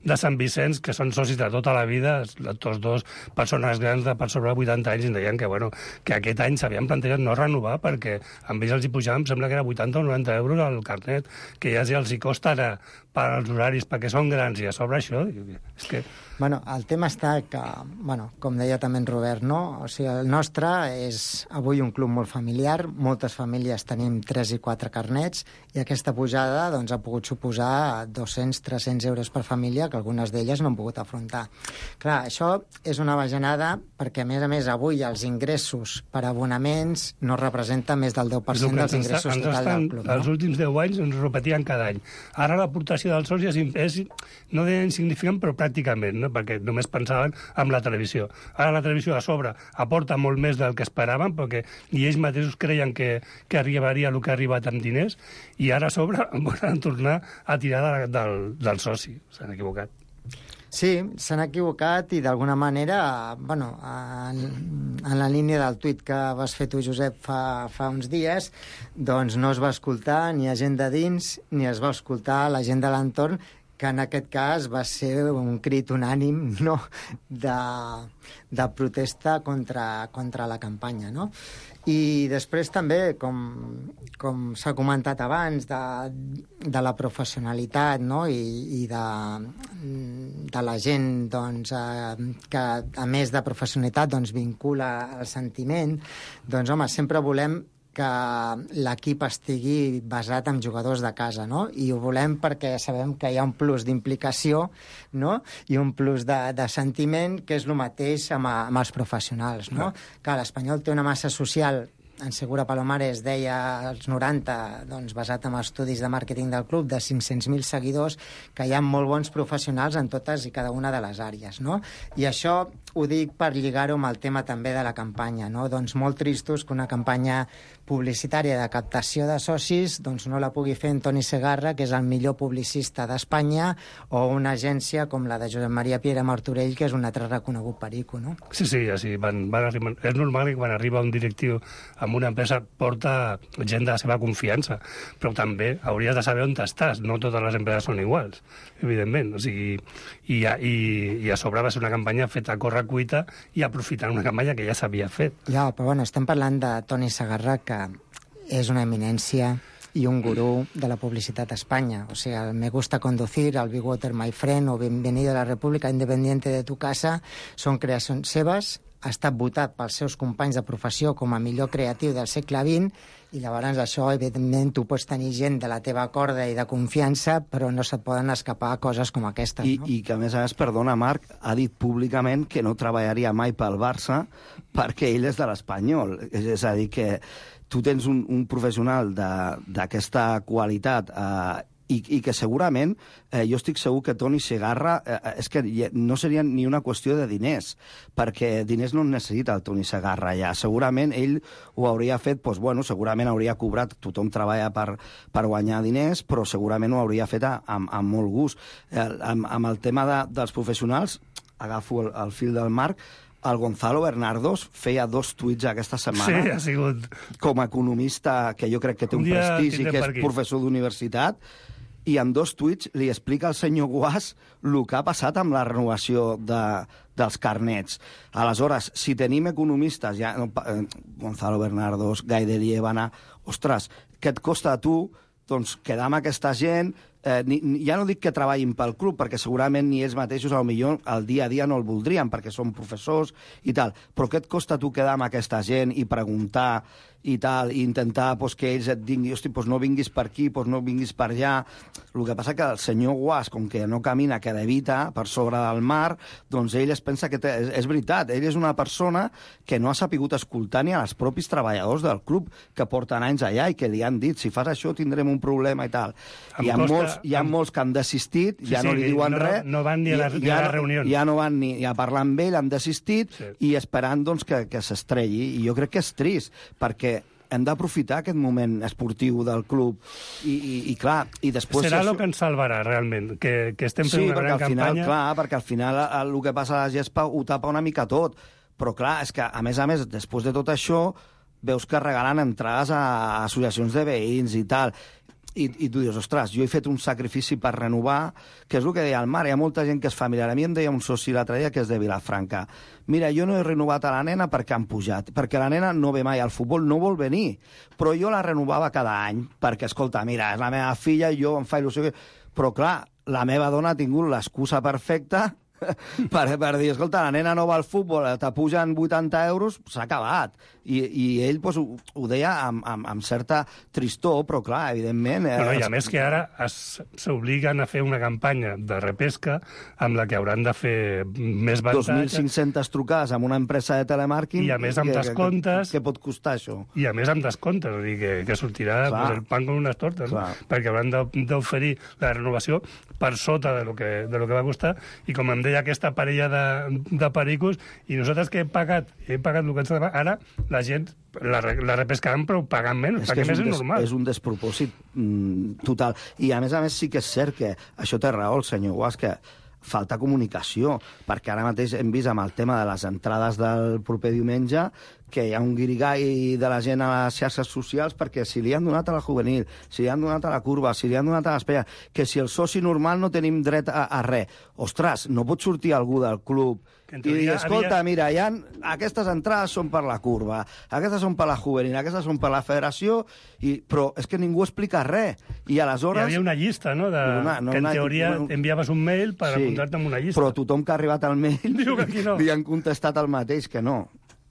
de Sant Vicenç, que són socis de tota la vida, tots dos persones grans de per sobre vuitanta anys, i em deien que, bueno, que aquest any s'havien plantejat no renovar perquè amb ells els hi pujava, em sembla que era vuitanta o noranta euros al carnet, que ja els hi costa ara per als horaris, perquè són grans, i a sobre això, és que... Bueno, el tema està que, bueno, com deia també en Robert, no? O sigui, el nostre és avui un club molt familiar, moltes famílies tenim tres i quatre carnets, i aquesta pujada doncs, ha pogut suposar dos-cents a tres-cents euros per família, que algunes d'elles no han pogut afrontar. Clar, això és una bajanada perquè, a més a més, avui els ingressos per abonaments no representen més del deu per cent dels ingressos total del club. Els no? últims deu anys ens repetien cada any. Ara l'aportació dels socis és, és no deia insignificant, però pràcticament, no? Perquè només pensaven en la televisió. Ara la televisió a sobre aporta molt més del que esperaven, perquè i ells mateixos creien que, que arribaria el que ha arribat amb diners, i ara a sobre volen tornar a tirar de, del, del soci. S'han equivocat. Sí, s'han equivocat i d'alguna manera, bueno, en, en la línia del tuit que vas fer tu, Josep, fa, fa uns dies, doncs no es va escoltar ni a gent de dins ni es va escoltar la gent de l'entorn, que en aquest cas va ser un crit unànim, no?, de, de protesta contra, contra la campanya, no? I després també, com, com s'ha comentat abans, de, de la professionalitat, no?, i, i de, de la gent, doncs, eh, que a més de professionalitat doncs, vincula el sentiment, doncs, home, sempre volem que l'equip estigui basat en jugadors de casa, no? I ho volem perquè sabem que hi ha un plus d'implicació, no?, i un plus de, de sentiment, que és el mateix amb, amb els professionals, no? Que l'Espanyol té una massa social, en Segura Palomares deia als noranta, doncs, basat en estudis de màrqueting del club, de cinc-cents mil seguidors, que hi ha molt bons professionals en totes i cada una de les àrees, no? I això ho dic per lligar-ho amb el tema també de la campanya, no? Doncs molt tristos que una campanya publicitària de captació de socis doncs no la pugui fer en Toni Segarra, que és el millor publicista d'Espanya, o una agència com la de Josep Maria Piera Martorell, que és un altre reconegut perico, no? Sí, sí, sí, van, van arribar... És normal que quan arriba un directiu amb una empresa porta gent de la seva confiança, però també hauries de saber on estàs. No totes les empreses són iguals, evidentment. O sigui, i, a, i, i a sobre va ser una campanya feta a corre-cuita i aprofitant una campanya que ja s'havia fet. Ja, però bueno, estem parlant de Toni Segarra, que és una eminència i un gurú de la publicitat a Espanya. O sigui, el Me gusta conducir, el Be Water My Friend o Bienvenido a la República Independiente de tu casa són creacions seves. Ha estat votat pels seus companys de professió com a millor creatiu del segle vint i llavors això, evidentment, tu pots tenir gent de la teva corda i de confiança, però no se't poden escapar coses com aquestes. I, no? I que, a més a més, perdona, Marc, ha dit públicament que no treballaria mai pel Barça perquè ell és de l'Espanyol. És a dir, que tu tens un, un professional d'aquesta qualitat eh, i, i que segurament, eh, jo estic segur que Toni Segarra, eh, és que no seria ni una qüestió de diners, perquè diners no necessita el Toni Segarra ja. Segurament ell ho hauria fet, doncs, bueno, segurament hauria cobrat, tothom treballa per, per guanyar diners, però segurament ho hauria fet amb, amb molt gust. Eh, amb, amb el tema de, dels professionals, agafo el, el fil del Marc, el Gonzalo Bernardos feia dos tuits aquesta setmana. Sí, ha sigut... Com a economista, que jo crec que té un, un prestigi, que és professor d'universitat, i en dos tuits li explica al senyor Guas el que ha passat amb la renovació de, dels carnets. Aleshores, si tenim economistes, ja, no, eh, Gonzalo Bernardos, Gai de Liébana, ostres, què et costa a tu doncs, quedar amb aquesta gent? Eh, ni, ja no dic que treballin pel club, perquè segurament ni ells mateixos potser el dia a dia no el voldrien, perquè són professors i tal, però què et costa tu quedar amb aquesta gent i preguntar i tal, i intentar pues, que ells et diguin, hosti, pues, no vinguis per aquí, pues, no vinguis per allà. El que passa que el senyor Guas, com que no camina, que levita per sobre del mar, doncs ell es pensa que té, és, és veritat, ell és una persona que no ha sapigut escoltar ni als propis treballadors del club que porten anys allà i que li han dit, si fas això tindrem un problema i tal. Hi ha, costa, molts, hi ha amb... molts que han desistit, sí, ja no sí, li diuen no, res. No van ni a la, ni a la reunió. Ja no van ni a parlar amb ell, han desistit, sí. I esperant doncs, que, que s'estrelli. I jo crec que és trist, perquè hem d'aprofitar aquest moment esportiu del club i, i, i clar, i després... Serà el això... que ens salvarà, realment, que, que estem fent sí, una gran al final, campanya. Clar, perquè al final el, el que passa a la gespa ho tapa una mica tot, però clar, és que a més a més, després de tot això, veus que regalen entrades a associacions de veïns i tal, i, i tu dius, ostres, jo he fet un sacrifici per renovar, que és el que deia el Mar, hi ha molta gent que és familiar. A mi em deia un soci l'altre dia que és de Vilafranca, mira, jo no he renovat a la nena perquè han pujat, perquè la nena no ve mai al futbol, no vol venir, però jo la renovava cada any, perquè, escolta, mira, és la meva filla i jo em fa il·lusió... Però, clar, la meva dona ha tingut l'excusa perfecta per, per dir, escolta, la nena no va al futbol, t'apugen vuitanta euros, s'ha acabat. I, i ell pues, ho, ho deia amb, amb, amb certa tristor, però clar, evidentment... Eh, no, I a més que ara s'obliguen a fer una campanya de repesca amb la que hauran de fer més avantatge. dos mil cinc-centes trucades amb una empresa de telemàrquing... I a més amb que, descomptes... Què pot costar això? I a més amb descomptes, és a dir, que, que sortirà pues, el pan con unes tortes, no? Perquè hauran d'oferir la renovació per sota de lo que, de lo que va costar, i com em deia aquesta parella de, de pericos, i nosaltres que hem pagat, hem pagat el que ens ha de pagar, ara la gent la, la repescaran però pagant menys, és perquè més és, és normal. És un despropòsit mm, total. I a més a més sí que és cert que això té raó el senyor Guas, que falta comunicació, perquè ara mateix hem vist amb el tema de les entrades del proper diumenge que hi ha un guirigall de la gent a les xarxes socials perquè si li han donat a la juvenil, si li han donat a la curva, si li han donat a l'espera, que si el soci normal no tenim dret a, a res. Ostres, no pot sortir algú del club i dir, escolta, havia... mira, ha, aquestes entrades són per la curva, aquestes són per la juvenil, aquestes són per la federació, i, però és que ningú explica res. I aleshores... Hi havia una llista, no?, de... una, no que en una... teoria no... enviaves un mail per sí, apuntar-te en una llista. Però tothom que ha arribat al mail diu que aquí no. Li han contestat el mateix, que no.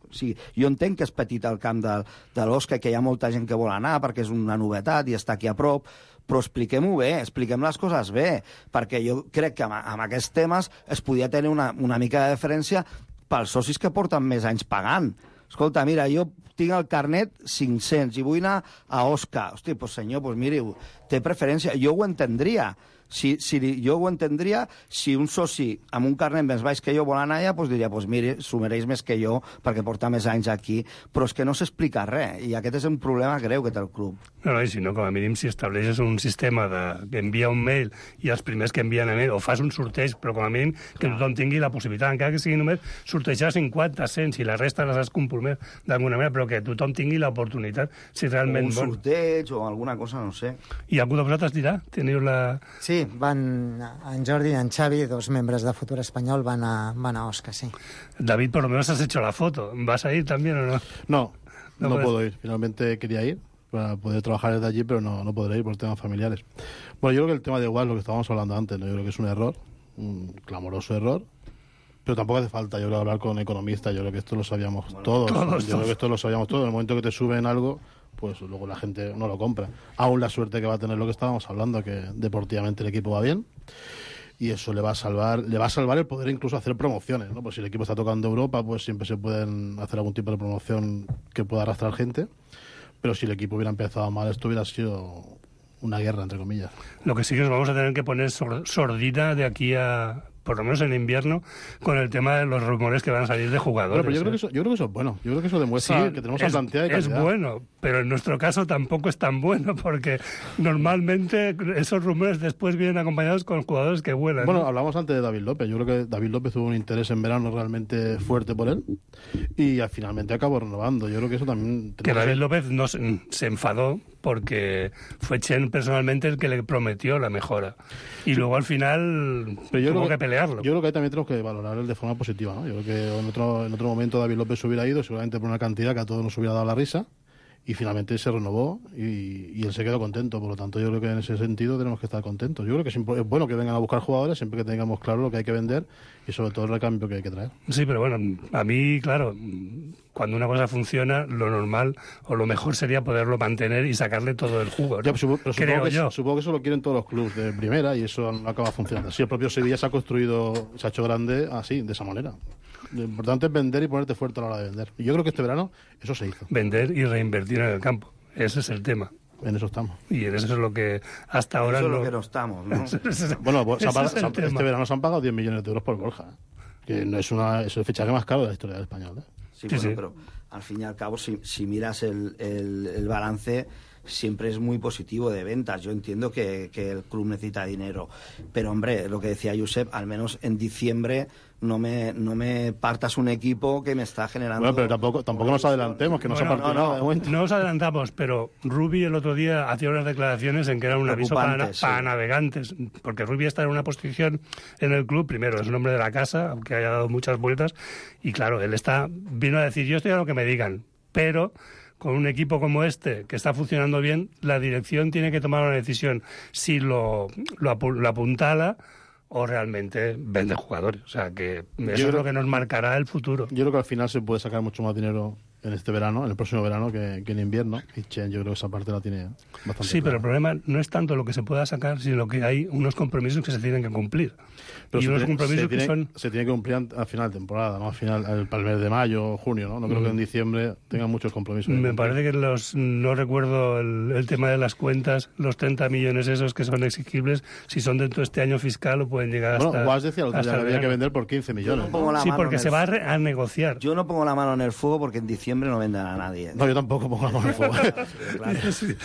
O sigui, jo entenc que és petit el camp de, de l'Osca, que hi ha molta gent que vol anar perquè és una novetat i està aquí a prop, però expliquem-ho bé, expliquem les coses bé, perquè jo crec que amb, amb aquests temes es podia tenir una, una mica de diferència pels socis que porten més anys pagant. Escolta, mira, jo tinc el carnet cinc-cents i vull anar a Osca. Hosti, doncs senyor, doncs miri, té preferència. Jo ho entendria. Si, si jo ho entendria si un soci amb un carnet més baix que jo vol anar allà, doncs diria, doncs mire, s'ho mereix més que jo perquè porta més anys aquí, però és que no s'explica res, i aquest és un problema greu que té el club. No, no, i si no, com a mínim, si estableixes un sistema de, que envia un mail i els primers que envien a mail, o fas un sorteig, però com a mínim que tothom tingui la possibilitat, encara que sigui només sortejar cinquanta, cent, si la resta les has compromès d'alguna manera, però que tothom tingui l'oportunitat, si realment... O un sorteig o alguna cosa, no sé. I algú de vosaltres dirà? Teniu la... Sí, van en Jordi i en Xavi, dos membres de Futur Espanyol, van a, van a Osca, sí. David, por lo menos has hecho la foto. ¿Vas a ir también o no? No, no, no puedo ir. Finalmente quería ir para poder trabajar desde allí, pero no, no podré ir por temas familiares. Bueno, yo creo que el tema de igual, lo que estábamos hablando antes, ¿no? Yo creo que es un error, un clamoroso error, pero tampoco hace falta, yo creo, hablar con economistas. Yo creo que esto lo sabíamos bueno, todos. todos. Yo creo que esto lo sabíamos todos. En el momento que te suben algo, pues luego la gente no lo compra. Aún la suerte que va a tener lo que estábamos hablando, que deportivamente el equipo va bien, y eso le va a salvar le va a salvar el poder incluso hacer promociones, ¿no? Pues si el equipo está tocando Europa, pues siempre se pueden hacer algún tipo de promoción que pueda arrastrar gente, pero si el equipo hubiera empezado mal, esto hubiera sido una guerra, entre comillas. Lo que sí que nos vamos a tener que poner sordina de aquí a... por lo menos en invierno, con el tema de los rumores que van a salir de jugadores. Bueno, pero yo, ¿eh? creo que eso, yo creo que eso es bueno. Yo creo que eso demuestra sí, que tenemos es, una cantidad de calidad. Es bueno, pero en nuestro caso tampoco es tan bueno, porque normalmente esos rumores después vienen acompañados con jugadores que vuelan. Bueno, ¿no? Hablamos antes de David López. Yo creo que David López tuvo un interés en verano realmente fuerte por él y al finalmente acabó renovando. Yo creo que eso también... Que David López no se, se enfadó porque fue Chen personalmente el que le prometió la mejora. Y sí. luego al final Pero yo tuvo creo que pelearlo. Yo creo que ahí también tenemos que valorarlo de forma positiva, ¿no? Yo creo que en otro, en otro momento David López se hubiera ido, seguramente por una cantidad que a todos nos hubiera dado la risa, y finalmente se renovó y, y él se quedó contento. Por lo tanto, yo creo que en ese sentido tenemos que estar contentos. Yo creo que es, es bueno que vengan a buscar jugadores siempre que tengamos claro lo que hay que vender y sobre todo el recambio que hay que traer. Sí, pero bueno, a mí, claro, cuando una cosa funciona, lo normal o lo mejor sería poderlo mantener y sacarle todo el jugo, ¿no? Ya, pero Creo supongo, que, yo. supongo que eso lo quieren todos los clubes de primera y eso no acaba funcionando. Así el propio Sevilla se ha construido, se ha hecho grande así, de esa manera. Lo importante es vender y ponerte fuerte a la hora de vender. Y yo creo que este verano eso se hizo. Vender y reinvertir en el campo. Ese es el tema. En eso estamos. Y en eso es lo que hasta ahora eso no... es lo que no estamos, ¿no? Bueno, se ha pagado, es se ha, este verano se han pagado diez millones de euros por Borja, ¿eh? Que no es, una, es el fichaje más caro de la historia del español, ¿eh? Sí, sí, bueno, sí. pero al fin y al cabo, si, si miras el, el, el balance, siempre es muy positivo de ventas. Yo entiendo que, que el club necesita dinero, pero hombre, lo que decía Josep, al menos en diciembre no me, no me partas un equipo que me está generando... Bueno, pero tampoco, tampoco nos adelantemos, que no bueno, se ha partido no, nada de momento. No nos adelantamos, pero Rubi el otro día hacía unas declaraciones en que era un aviso para, sí. para navegantes, porque Rubi está en una posición en el club, primero es un hombre de la casa, aunque haya dado muchas vueltas, y claro, él está vino a decir, yo estoy a lo que me digan, pero... con un equipo como este, que está funcionando bien, la dirección tiene que tomar una decisión si lo, lo, apu lo apuntala o realmente vende jugadores. O sea, que eso yo es creo, lo que nos marcará el futuro. Yo creo que al final se puede sacar mucho más dinero en este verano, en el próximo verano, que, que en invierno. Y Chen, yo creo que esa parte la tiene bastante Sí, clara. pero el problema no es tanto lo que se pueda sacar, sino que hay unos compromisos que se tienen que cumplir. Pero y se unos tiene, compromisos se tiene, que son... Se tiene que cumplir al final de temporada, ¿no? Al final, al, para el mes de mayo, junio, ¿no? No creo mm. que en diciembre tengan muchos compromisos. Me parece que los... No recuerdo el, el tema de las cuentas, los treinta millones esos que son exigibles, si son dentro de este año fiscal o pueden llegar hasta... Bueno, Guas decía que había que vender por quince millones. No sí, porque se va a, re, a negociar. Yo no pongo la mano en el fuego porque en diciembre no vendan a nadie. No, yo tampoco pongo la mano en el fuego. Claro.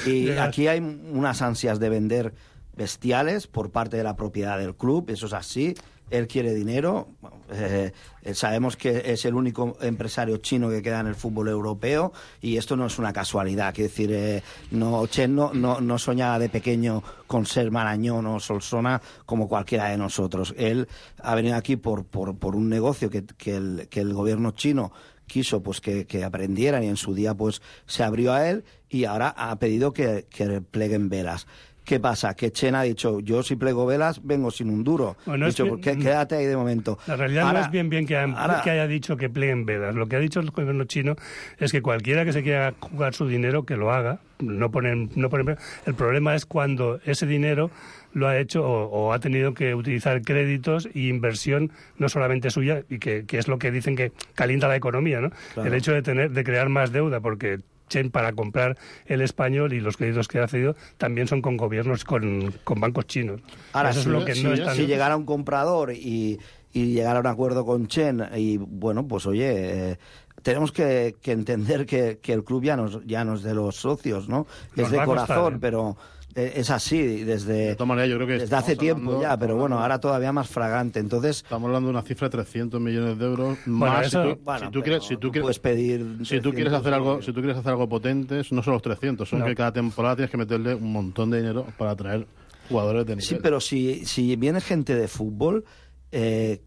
Y aquí hay unas ansias de vender bestiales por parte de la propiedad del club, eso es así. Él quiere dinero, eh, sabemos que es el único empresario chino que queda en el fútbol europeo y esto no es una casualidad, quiero decir, eh, no, Chen no, no, no soñaba de pequeño con ser Marañón o Solsona como cualquiera de nosotros. Él ha venido aquí por, por, por un negocio que, que, el, que el gobierno chino quiso pues que, que aprendieran y en su día pues se abrió a él y ahora ha pedido que, que pleguen velas. ¿Qué pasa? Que Chen ha dicho, yo si plego velas vengo sin un duro. Bueno, dicho, es que, quédate ahí de momento. La realidad ahora, no es bien bien que, ha, ahora, que haya dicho que pleguen velas. Lo que ha dicho el gobierno chino es que cualquiera que se quiera jugar su dinero, que lo haga. No ponen, no ponen, el problema es cuando ese dinero lo ha hecho o, o ha tenido que utilizar créditos e inversión no solamente suya, y que, que es lo que dicen que calienta la economía, ¿no? Claro. El hecho de tener de crear más deuda, porque Chen para comprar el Español, y los créditos que ha cedido también son con gobiernos, con, con bancos chinos. Ahora, Eso si, es lo que si, no está... si llegara un comprador y, y llegara a un acuerdo con Chen, y bueno, pues oye... Eh, tenemos que, que entender que, que el club ya no, ya no es de los socios, ¿no? Es Nos de va a costar, corazón, ¿eh? pero eh, es así desde, De todas maneras, yo creo que desde hace estamos tiempo hablando- ya, pero bueno, hablando- ahora todavía más fragante. Entonces, Estamos hablando de una cifra de trescientos millones de euros Bueno, más. eso- si tú, bueno, si tú pero quieres, si tú tú quieres, puedes pedir si tú quieres trescientos hacer algo, millones. si tú quieres hacer algo potente, no son los trescientos, son No. que cada temporada tienes que meterle un montón de dinero para atraer jugadores de nivel. Sí, pero si, si viene gente de fútbol, eh,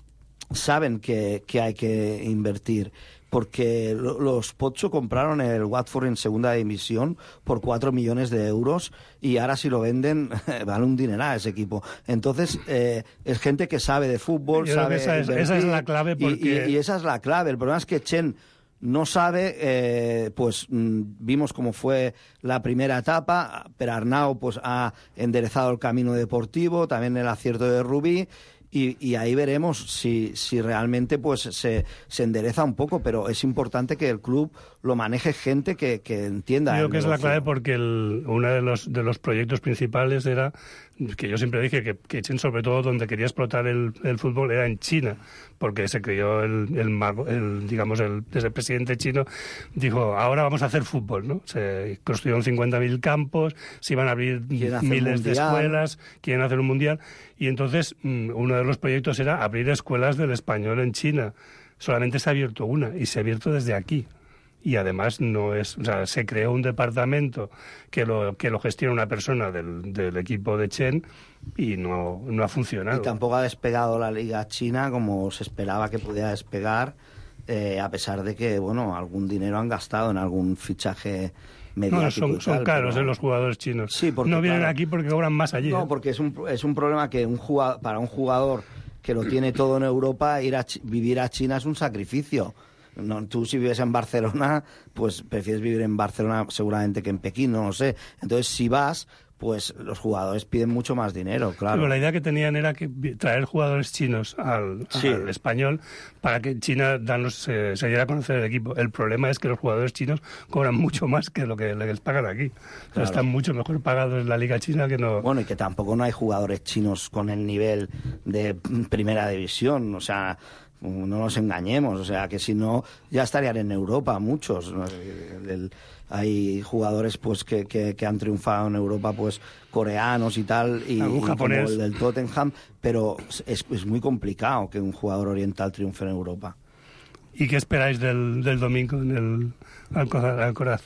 saben que, que hay que invertir. Porque lo- los Pocho compraron el Watford en segunda división por cuatro millones de euros y ahora si lo venden vale un dineral ese equipo. Entonces, eh, es gente que sabe de fútbol, Yo creo sabe que esa es- invertir, esa es la clave, y- porque- y, y esa es la clave. El problema es que Chen no sabe, eh, pues mm, vimos cómo fue la primera etapa, pero Arnau pues ha enderezado el camino deportivo, también el acierto de Rubí. Y, y ahí veremos si, si realmente pues se, se endereza un poco, pero es importante que el club lo maneje gente que, que entienda. Creo el que es la negocio. clave, porque el, uno de los, de los proyectos principales era, que yo siempre dije, que, que Chen, sobre todo donde quería explotar el, el fútbol, era en China, porque se creó el, el, mago- el digamos, el, desde el presidente chino, dijo, ahora vamos a hacer fútbol, ¿no? Se construyeron cincuenta mil campos, se iban a abrir Quieren hacer miles de mundial. escuelas, quieren hacer un mundial, y entonces mm, uno de los proyectos era abrir escuelas del español en China. Solamente se ha abierto una, y se ha abierto desde aquí. Y además no es, o sea, se creó un departamento que lo que lo gestiona una persona del, del equipo de Chen, y no, no ha funcionado. Y tampoco ha despegado la liga china como se esperaba que pudiera despegar, eh, a pesar de que, bueno, algún dinero han gastado en algún fichaje mediático. No, son, y son tal, caros, pero- eh, los jugadores chinos. Sí, porque, no vienen claro, aquí porque cobran más allí. No, ¿eh? porque es un, es un problema que un jugador, para un jugador que lo tiene todo en Europa, ir a Chi- vivir a China es un sacrificio. No, tú si vives en Barcelona, pues prefieres vivir en Barcelona seguramente que en Pekín, no lo sé. Entonces, si vas, pues los jugadores piden mucho más dinero, Sí, claro. pero la idea que tenían era que vi- traer jugadores chinos al, Sí. al español para que China danos, se, se diera a conocer el equipo. El problema es que los jugadores chinos cobran mucho más que lo que, lo que les pagan aquí. O sea, Claro. están mucho mejor pagados en la liga china que no... Bueno, y que tampoco no hay jugadores chinos con el nivel de primera división, o sea, no nos engañemos, o sea, que si no, ya estarían en Europa muchos. ¿no? El- el- hay jugadores pues que, que, que han triunfado en Europa, pues coreanos y tal, y, Algún y como japonés. el del Tottenham, pero es, es muy complicado que un jugador oriental triunfe en Europa. ¿Y qué esperáis del, del domingo en el Alcoraz? Alcoraz?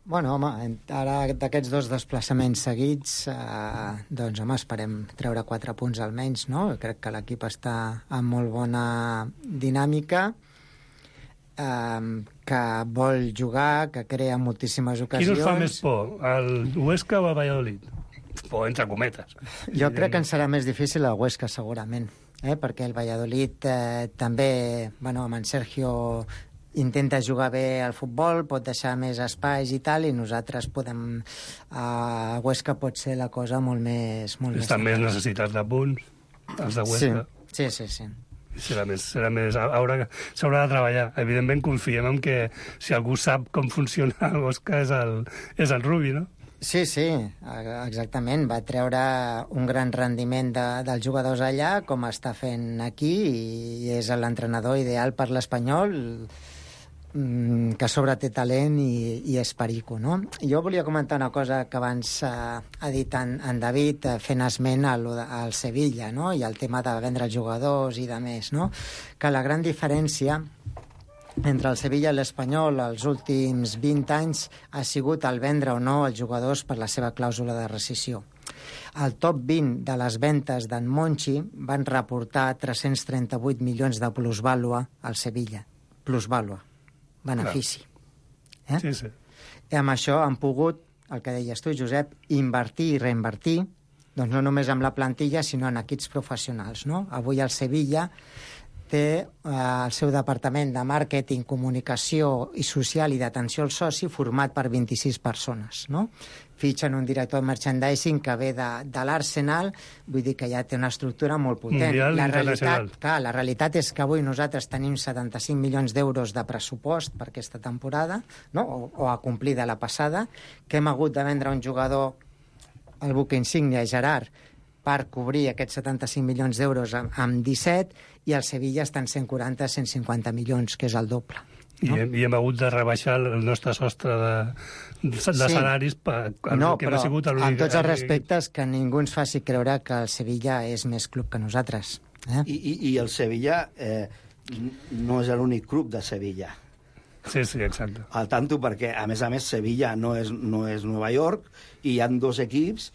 Bueno, home, en- ara d'aquests dos desplaçaments seguits, eh, doncs, home, esperem treure quatre punts almenys, no? Crec que l'equip està en molt bona dinàmica, eh, que vol jugar, que crea moltíssimes Qui ocasions. us fa més por, el Huesca o el Valladolid? Por entre cometes. Jo crec que ens serà més difícil el Huesca, segurament, eh? perquè el Valladolid eh, també, bueno, amb en Sergio intenta jugar bé al futbol, pot deixar més espais i tal, i nosaltres podem... A Huesca pot ser la cosa molt més... Molt Estan més necessitats de punts, els de Huesca. Sí, sí, sí. sí. Serà més, serà més, haurà, s'haurà de treballar. Evidentment confiem en que si algú sap com funciona el Huesca és el, és el Rubi, no? Sí, sí, exactament. Va treure un gran rendiment de, dels jugadors allà, com està fent aquí, i és l'entrenador ideal per l'Espanyol, mm, que a sobre té talent i, i és perico, no? Jo volia comentar una cosa que abans eh, ha dit en, en David, eh, fent esment al, al Sevilla, no? I el tema de vendre els jugadors i de més, no? Que la gran diferència entre el Sevilla i l'Espanyol els últims vint anys ha sigut el vendre o no els jugadors per la seva clàusula de rescissió. El top vint de les ventes d'en Monchi van reportar tres-cents trenta-vuit milions de plusvàlua al Sevilla. Plusvàlua. Benefici. Eh? Sí, sí. I amb això han pogut, el que deies tu, Josep, invertir i reinvertir, doncs no només amb la plantilla, sinó en equips professionals. No? Avui el Sevilla té eh, el seu departament de màrqueting, comunicació i social i d'atenció al soci format per vint-i-sis persones, no? Fitxen un director de merchandising que ve de, de l'Arsenal, vull dir que ja té una estructura molt potent. Mundial la internacional. realitat, clar, la realitat és que avui nosaltres tenim setanta-cinc milions d'euros de pressupost per aquesta temporada, no? o, o a complir de la passada, que hem hagut de vendre un jugador, el buque insígnia, Gerard, per cobrir aquests setanta-cinc milions d'euros amb, amb disset, i el Sevilla està en cent quaranta a cent cinquanta milions, que és el doble. No? I, hem, I hem hagut de rebaixar el nostre sostre de, de sí. salaris per, per no, que però ha sigut amb tots els respectes que ningú ens faci creure que el Sevilla és més club que nosaltres. Eh? I, i, I el Sevilla eh, no és l'únic club de Sevilla. Sí, sí, exacte. Al tanto, perquè, a més a més, Sevilla no és, no és Nova York i hi ha dos equips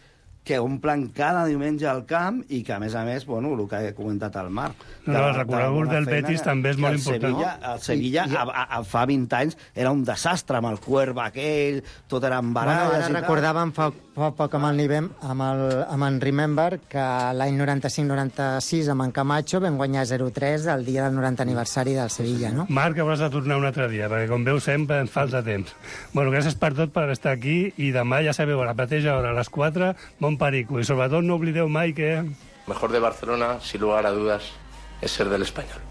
que omplen cada diumenge al camp i que, a més a més, bueno, el que ha comentat el Marc... No, el recorregut del Betis també és molt el important. Sevilla, el Sevilla I, i... A, a, fa vint anys era un desastre amb el Cuerva aquell, tot eren baralles bueno, ara i recordàvem fa, fa poc amb el Nivem, amb, el, amb en Remember, que l'any noranta-cinc noranta-sis amb en Camacho vam guanyar zero tres el dia del noranta aniversari del Sevilla, no? Marc, hauràs de tornar un altre dia, perquè com veus sempre ens falta temps. Bueno, gràcies per tot per estar aquí i demà, ja sabeu, a la mateixa hora, a les quatre, bon perico. I sobretot no oblideu mai que... Mejor de Barcelona, sin lugar a dudas, es ser del Español.